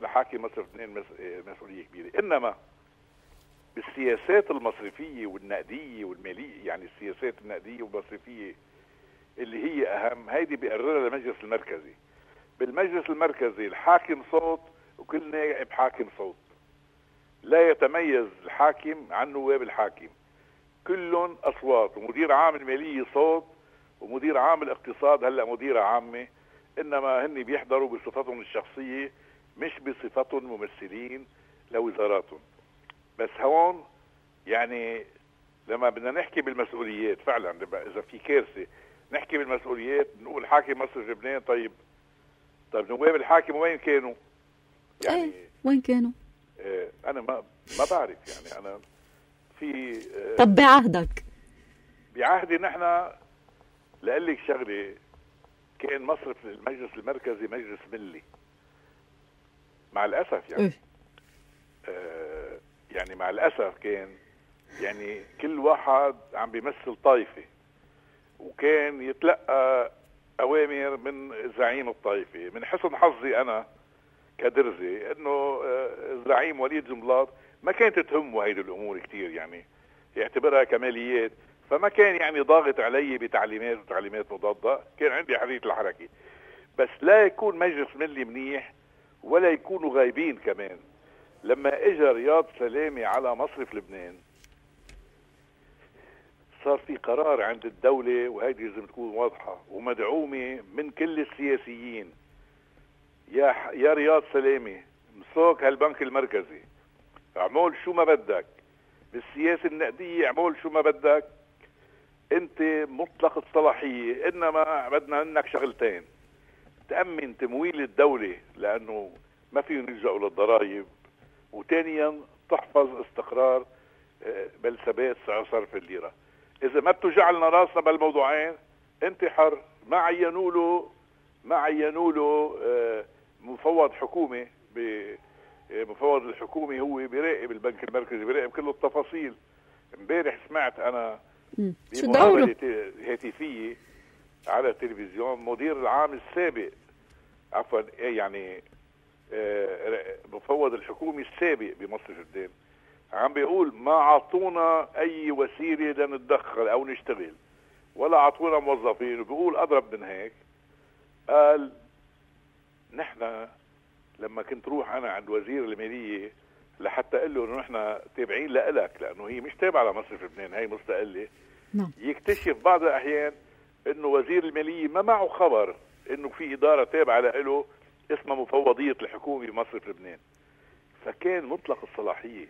لحاكم مصرف لبنان مسؤولية كبيرة. إنما بالسياسات المصرفية والنقدية والمالية، يعني السياسات النقدية والمصرفية اللي هي أهم، هيدي بيقررها المجلس المركزي. بالمجلس المركزي الحاكم صوت وكل نائب حاكم صوت. لا يتميز الحاكم عن نواب الحاكم، كلهم أصوات. ومدير عام المالية صوت، ومدير عام الاقتصاد هلأ مديرة عامة، إنما هن بيحضروا بصفتهم الشخصية مش بصفتهم ممثلين لوزاراتهم. بس هون يعني لما بدنا نحكي بالمسؤوليات فعلا، إذا في كارثة نحكي بالمسؤوليات، نقول حاكم مصرف لبنان. طيب نواب الحاكم وين كانوا؟ يعني وين كانوا؟ أنا ما بعرف. يعني أنا في طب بعهدك؟ بعهدي نحن لقلك شغلة، كان مصرف المجلس المركزي مجلس ملي مع الأسف يعني. يعني مع الأسف كان يعني كل واحد عم بيمثل طائفة، وكان يتلقى أوامر من زعيم الطائفة. من حسن حظي أنا كدرزي إنه الزعيم وليد جنبلاط ما كانت تهمه هيدي الأمور كتير، يعني يعتبرها كماليات، فما كان يعني ضاغط علي بتعليمات وتعليمات مضادة. كان عندي حرية الحركة، بس لا يكون مجلس ملي منيح ولا يكونوا غايبين كمان. لما اجى رياض سلامي على مصرف لبنان صار في قرار عند الدولة، وهيدي لازم تكون واضحة ومدعومة من كل السياسيين. يا رياض سلامي مسوك هالبنك المركزي، اعمل شو ما بدك بالسياسة النقدية، اعمل شو ما بدك، انت مطلق الصلاحية، انما بدنا منك شغلتين: تأمن تمويل الدولة لأنه ما فيهم يلجأوا للضرائب، وثانيا تحفظ استقرار بل ثبات سعر صرف الليرة. إذا ما بتوجع لنا راسنا بالموضوعين أنت حر. ما عينوا له مفوض حكومي. مفوض الحكومي هو بيراقب البنك المركزي، بيراقب كل التفاصيل. امبارح سمعت أنا بمقابلة هاتفية على التلفزيون مدير العام السابق، عفوا يعني مفوض الحكومي السابق بمصر جدان، عم بيقول ما عطونا اي وسيله لنتدخل او نشتغل ولا عطونا موظفين. وبيقول اضرب من هيك، قال نحن لما كنت روح انا عند وزير الماليه لحتى اقول له انه نحن تابعين لك، لانه هي مش تابعه لمصرف لبنان، هي مستقله. يكتشف بعض الاحيان انه وزير الماليه ما معه خبر انه في اداره تابعه له اسمها مفوضيه الحكومه بمصرف لبنان، فكان مطلق الصلاحيه.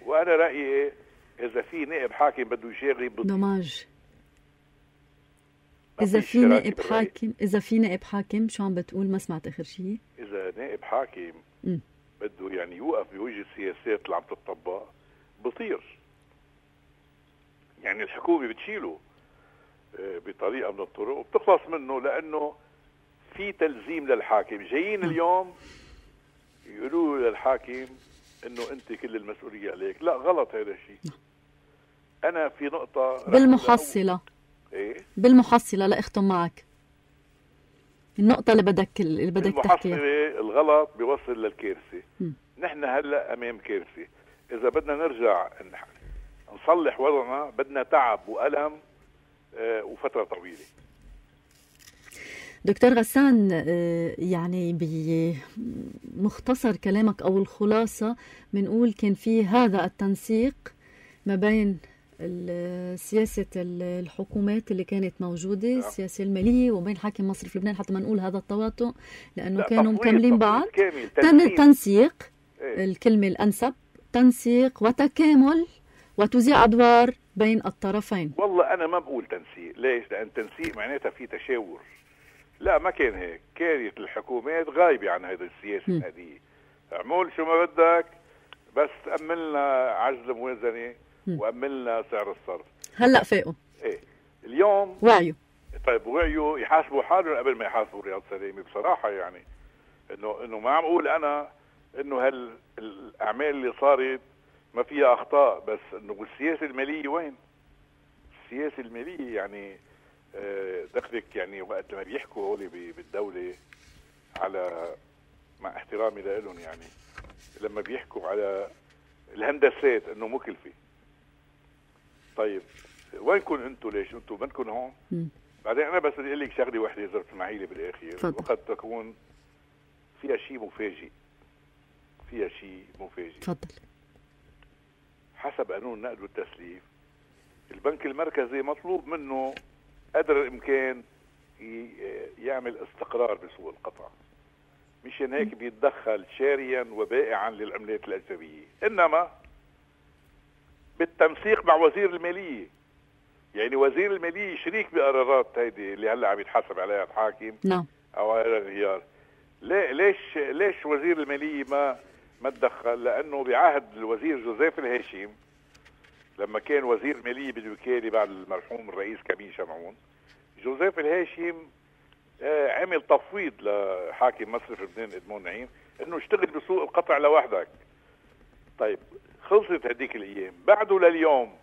وانا رايي اذا في نائب حاكم بده يشاغب دماج، اذا في نائب حاكم شو عم بتقول؟ ما سمعت اخر شيء. اذا نائب حاكم بده يعني يوقف بوجه السياسات اللي عم تطبق بطير، يعني الحكومه بتشيله بطريقه من الطرق وبتخلص منه، لانه في تلزيم للحاكم. جايين اليوم يقولوا للحاكم انه انت كل المسؤوليه عليك. لا، غلط هذا الشيء. انا في نقطه بالمحصله بالمحصله لا اختم معك النقطه اللي بدك تحكيها. الغلط بيوصل للكارثه. نحن هلا امام كارثه. اذا بدنا نرجع نصلح وضعنا بدنا تعب وألم وفتره طويله. دكتور غسان، يعني بمختصر كلامك أو الخلاصة بنقول كان في هذا التنسيق ما بين سياسة الحكومات اللي كانت موجودة، السياسة المالية، وبين حاكم مصرف لبنان، حتى ما نقول هذا التواطؤ لأنه كانوا مكملين بعض. تنسيق الكلمة الأنسب، تنسيق وتكامل وتوزيع أدوار بين الطرفين. والله أنا ما بقول تنسيق. ليش؟ لأن تنسيق معناتها في تشاور. لا، ما كان هيك. كانت الحكومات غايبة عن هذه السياسة النقدية. اعمل شو ما بدك بس أملنا عجز موازنة وأملنا سعر الصرف. هلأ فاقوا. ايه اليوم وعيوا. طيب وعيوا يحاسبوا حالهم قبل ما يحاسبوا رياض سلامي. بصراحة يعني انه ما عم اقول انا انه هالاعمال اللي صارت ما فيها اخطاء، بس انه السياسة المالية وين؟ السياسة المالية يعني دخلك يعني وقت ما بيحكوا هولي بالدولة على، مع احترامي لهم، يعني لما بيحكوا على الهندسات انه مكلفة. طيب وينكم انتم؟ ليش انتم بدكم هون؟ بعدين انا بس بدي اقول لك شغله وحده اذا بتسمحي لي بالاخير، وقد تكون فيها شيء مفاجئ. تفضل. حسب قانون النقد والتسليف البنك المركزي مطلوب منه قدر الامكان يعمل استقرار بسوق القطع، مشان هيك بيتدخل شاريا وبائعا للعملات الاجنبيه، انما بالتنسيق مع وزير الماليه. يعني وزير الماليه شريك بقرارات هيدي اللي هلا عم يتحاسب عليها الحاكم. نعم. او على الانهيار. ليش وزير الماليه ما تدخل؟ لانه بعهد الوزير جوزيف الهاشم لما كان وزير ماليه بالوكاله بعد المرحوم الرئيس كمين شمعون، جوزيف الهاشم عمل تفويض لحاكم مصرف لبنان ادمون نعيم انه اشتغل بسوق القطع لوحدك. طيب خلصت هديك الايام، بعده لليوم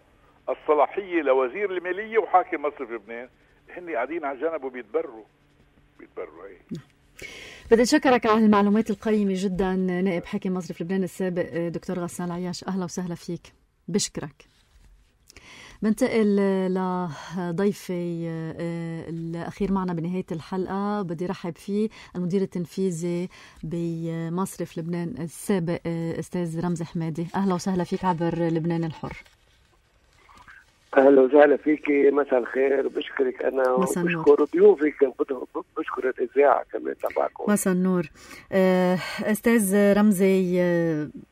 الصلاحيه لوزير الماليه وحاكم مصرف لبنان هن قاعدين على جنب وبيتبروا هي. بدي أشكرك على المعلومات القيمة جدا نائب حاكم مصرف لبنان السابق دكتور غسان عياش، أهلا وسهلا فيك. بشكرك. بنتقل لضيفي الأخير معنا بنهاية الحلقة، بدي رحب فيه المدير التنفيذي بمصرف لبنان السابق أستاذ رمزي حمادي. أهلا وسهلا فيك عبر لبنان الحر. اهلا وسهلا فيكي، مساء الخير. بشكرك انا وبشكر ضيوفك، بشكر الاذاعه كمان تبعكم. مساء النور. استاذ رمزي،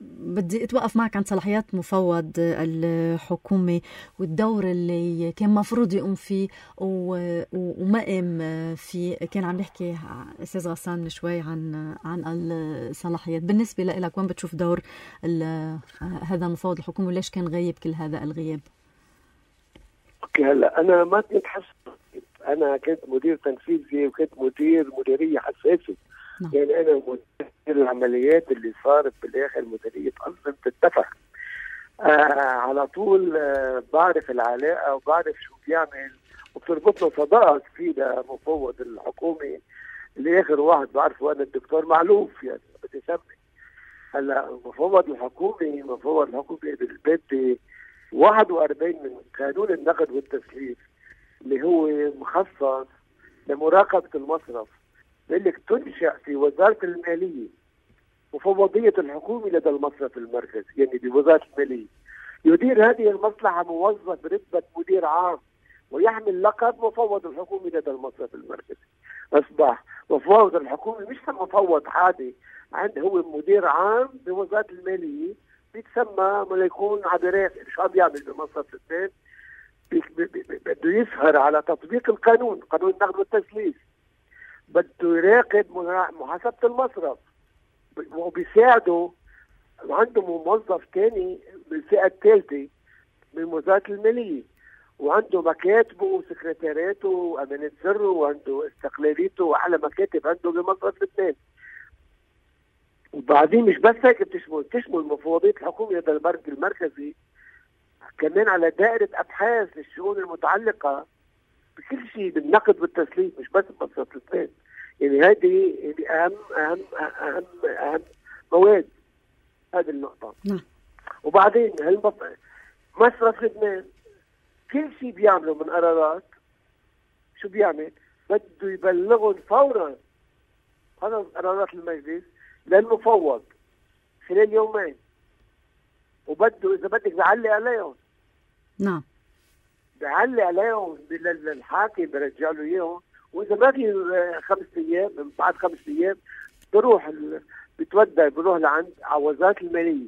بدي اتوقف معك عن صلاحيات مفوض الحكومه والدور اللي كان مفروض يقوم فيه وما قام فيه. كان عم يحكي استاذ غسان شوي عن الصلاحيات. بالنسبه لك وين بتشوف دور هذا المفوض الحكومي وليش كان غايب كل هذا الغياب؟ اوكي، هلا انا ما كنت انا كنت مدير تنفيذي وكنت مديريه حساسه. يعني انا مدير العمليات اللي صارت بالاخر مديريه انظمه الدفع. على طول بعرف العلاقه وبعرف شو بيعمل، وبتربطنا صداقه كثيره مفوض الحكومي اللي اخر واحد بعرفه انا الدكتور معلوف، يعني بدي اسمي. هلا مفوض الحكومي بالبدء 41 من قانون النقد والتسليف اللي هو مخصص لمراقبة المصرف، بيقول لك تنشأ في وزارة المالية مفوضية الحكومة لدى المصرف المركزي، يعني بوزارة المالية. يدير هذه المصلحة موظف برتبة مدير عام ويحمل لقب مفوض الحكومة لدى المصرف المركزي. أصبح مفوض الحكومة مش مفوض عادي، عنده هو مدير عام بوزارة المالية، بيتسمى ما يكون عبرات. شو عم يعمل بمصرف لبنان؟ بده يسهر على تطبيق القانون، قانون النقد والتسليف، بده يراقب محاسبة المصرف، وبيساعده. عنده موظف تاني بالفئة الثالثة من وزارة المالية، وعنده مكاتبه وسكرتارياته وأمانة سره وعنده استقلاليته وأعلى مكاتب عنده بمصرف لبنان. وبعدين مش بس هيك، بتشمل مفوضية الحكومة لدى البنك المركزي كمان على دائرة أبحاث للشؤون المتعلقة بكل شيء بالنقد والتسليف، مش بس بمصرف لبنان. يعني هذه أهم أهم أهم أهم مواد هذه النقطة. وبعدين مصرف لبنان كل شيء بيعمله من قرارات شو بيعمل؟ بده يبلغهم فورا هذا قرارات المجلس للمفوض خلال يومين، وبده إذا بدك بيعلق عليهم. نعم، بيعلق عليهم للحاكم، برجع له إياهم. وإذا ما في 5 أيام، من بعد 5 أيام بروح بروح لعند على وزارة المالية.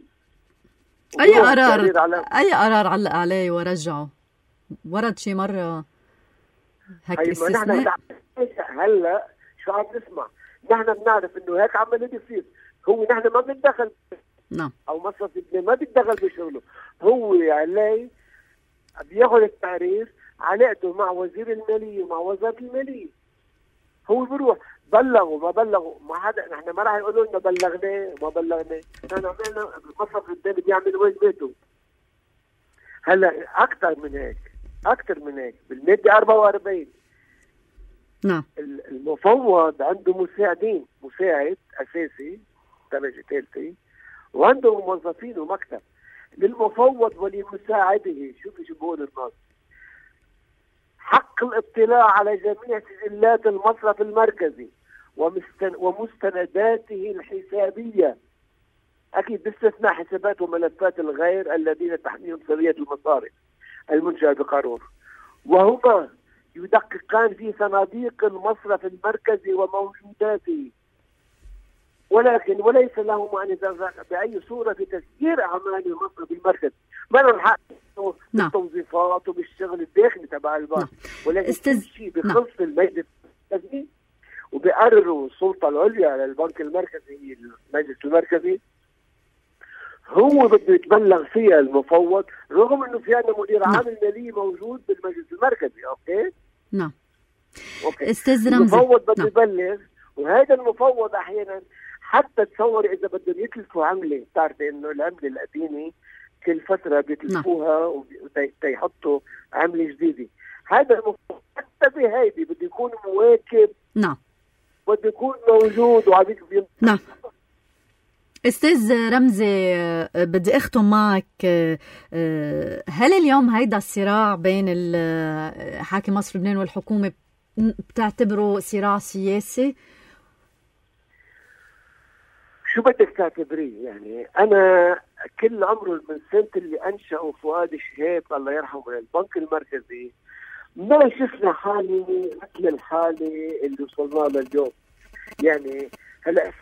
أي قرار علق عليه ورجعه؟ ورد شي مرة هيك استثناء؟ هلا شو عم نسمع؟ نحن بنعرف انه هيك عمال بيصير. هو نحن ما بنتدخل. نعم. او مصرف لبنان ما بيتدخل بشغله. هو عليه بياخذ التعريف، علاقته مع وزير المالية ومع وزارة المالية. هو بيروح بلغوا ما بلغوا، ما حدا، نحن ما راح يقولوا لنا بلغناه ما بلغناه. نحن عملنا مصرف لبنان بيعمل واجباته. هلا اكثر من هيك بالمادة 44 نعم المفوض عنده مساعدين، مساعد اساسي درجه ثالثه، وعنده موظفين ومكتب. للمفوض ولمساعده شو بيقول النص؟ حق الاطلاع على جميع سجلات المصرف المركزي ومستنداته الحسابيه، اكيد باستثناء حسابات وملفات الغير الذين تحميهم سريه المصارف المنشأة بقانون، وهما يدققان في صناديق المصرف المركزي وموجوداته، ولكن وليس لهما أن يتدخلن بأي صورة في تسيير أعمال المصرف المركزي. ما لهم حق بالتوظيفات وبالشغل الداخلي تبع البنك، ولكن كل شيء بخص المجلس المركزي وبيقرروا السلطة العليا للبنك المركزي، المجلس المركزي هو بده يتبلغ فيها المفوض، رغم انه في عندنا مدير عام المالية موجود بالمجلس المركزي. اوكي؟ نعم. اوكي. استاذ رمزي، المفوض بده يبلغ، وهذا المفوض احيانا حتى تصور اذا بدهم يتلفوا عمله، بتعرفي انه العمله القديمه كل فتره بيتلفوها ويحطوا عمله جديده. هذا حتى بهيدي بده يكون مواكب، نعم، بده يكون موجود وعبيد. نعم. استاذ رمزي، بدي اختم معك. هل اليوم هيدا الصراع بين حاكم مصر لبنان والحكومة بتعتبره صراع سياسي؟ شو بدك تعتبريه؟ يعني أنا كل عمره من سنة اللي أنشأوا فؤاد شهاب الله يرحمه البنك المركزي ما شفنا حالة مثل الحالة اللي وصلنا لها اليوم. يعني هلا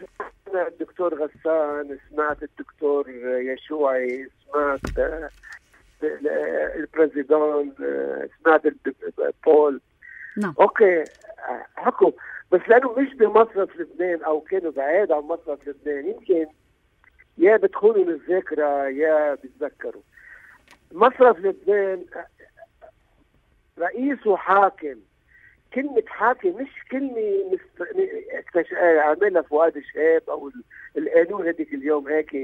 سمعت الدكتور غسان، سمعت الدكتور يشوعي، سمعت البريزيدون، سمعت بول. نعم. اوكي حكوا، بس لانه مش بمصرف لبنان او كانوا بعيد عن مصرف لبنان يمكن يا بتخونوا الذاكره يا بتذكروا. مصرف لبنان رئيسه حاكم. كلمة حاكم مش كلمة عملها فؤاد شهاب أو القانون هذيك اليوم هيك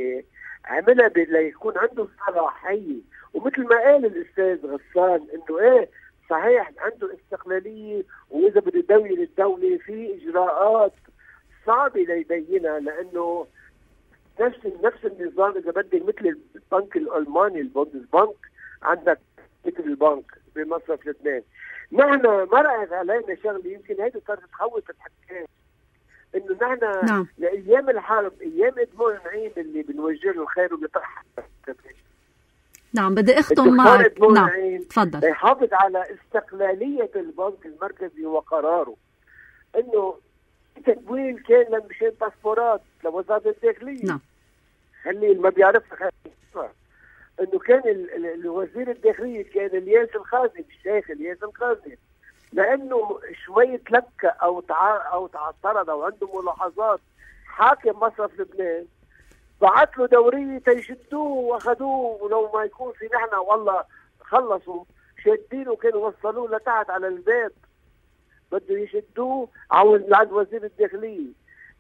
عملها ليكون عنده صلاحية. ومثل ما قال الأستاذ غسان إنه إيه صحيح عنده استقلالية، وإذا بده يدوي الدولة في إجراءات صعبة ليبينها، لأنه نفس النظام إذا بدك مثل البنك الألماني البوندسبانك عندك مثل البنك بمصرف لبنان. نحن مرقت علينا شغله يمكن هيدا صارت تخوف الحكام، انه نحن نعم. لايام الحرب ايام ادمون نعيم اللي بنوجه له الخير وبيطرح. نعم، بدي اختم معك. نعم تفضل. يحافظ على استقلاليه البنك المركزي وقراره، انه التمويل كان مشان باسبورات لوزاره الداخليه. نعم. اللي ما بيعرفها انه كان الوزير الداخلية كان الياس الخازن، الشيخ الياس الخازن، لانه شوية لكة او تعثرت او عنده ملاحظات حاكم مصرف لبنان بعت له دورية تيشدوه واخذوه، ولو ما يكون في نحن والله خلصوا شادينه كانوا وصلوه لتحت على الباب، بده يشدوه عند وزير الداخلية.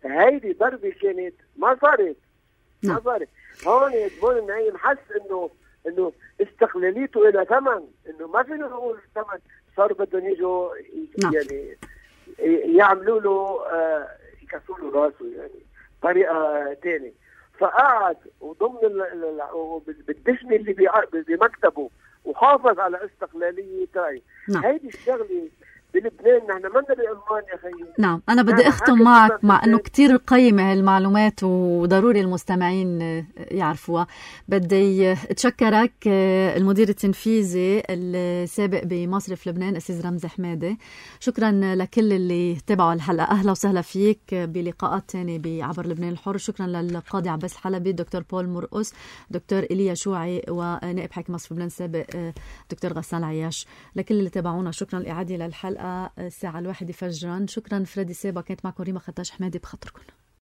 هيدي ضربة كانت ما صارت. ما صارت. هون ادمون النعيم حس انه استقلاليته الى ثمن، انه ما فينا نقول ثمن، صاروا بدهم يجوا يعني يعملوا له يكسروا له راسه يعني طريقه ثانيه. فقعد وضمن بالدشمه اللي بمكتبه وحافظ على استقلاليه تاعي. هيدي الشغله بلبنان نحن ما بألمانيا خيي. نعم، أنا بدي أختم معك مع أنه كتير قيمة هالمعلومات وضروري المستمعين يعرفوها. بدي أتشكرك المدير التنفيذي السابق بمصرف لبنان أستاذ رمزي حمادي. شكرا لكل اللي تابعوا الحلقة. أهلا وسهلا فيك بلقاءات تانية بعبر لبنان الحر. شكرا للقاضي عباس الحلبي، دكتور بول مرقس، دكتور إيليا شوعي، ونائب حاكم مصرف لبنان السابق دكتور غسان عياش. لكل اللي تابعونا شكرا. الإعادة للحلقة الساعة 1 فجرا. شكرا فريدي سيبا، كانت معكم ريما خطاش حمادي بخاطركم.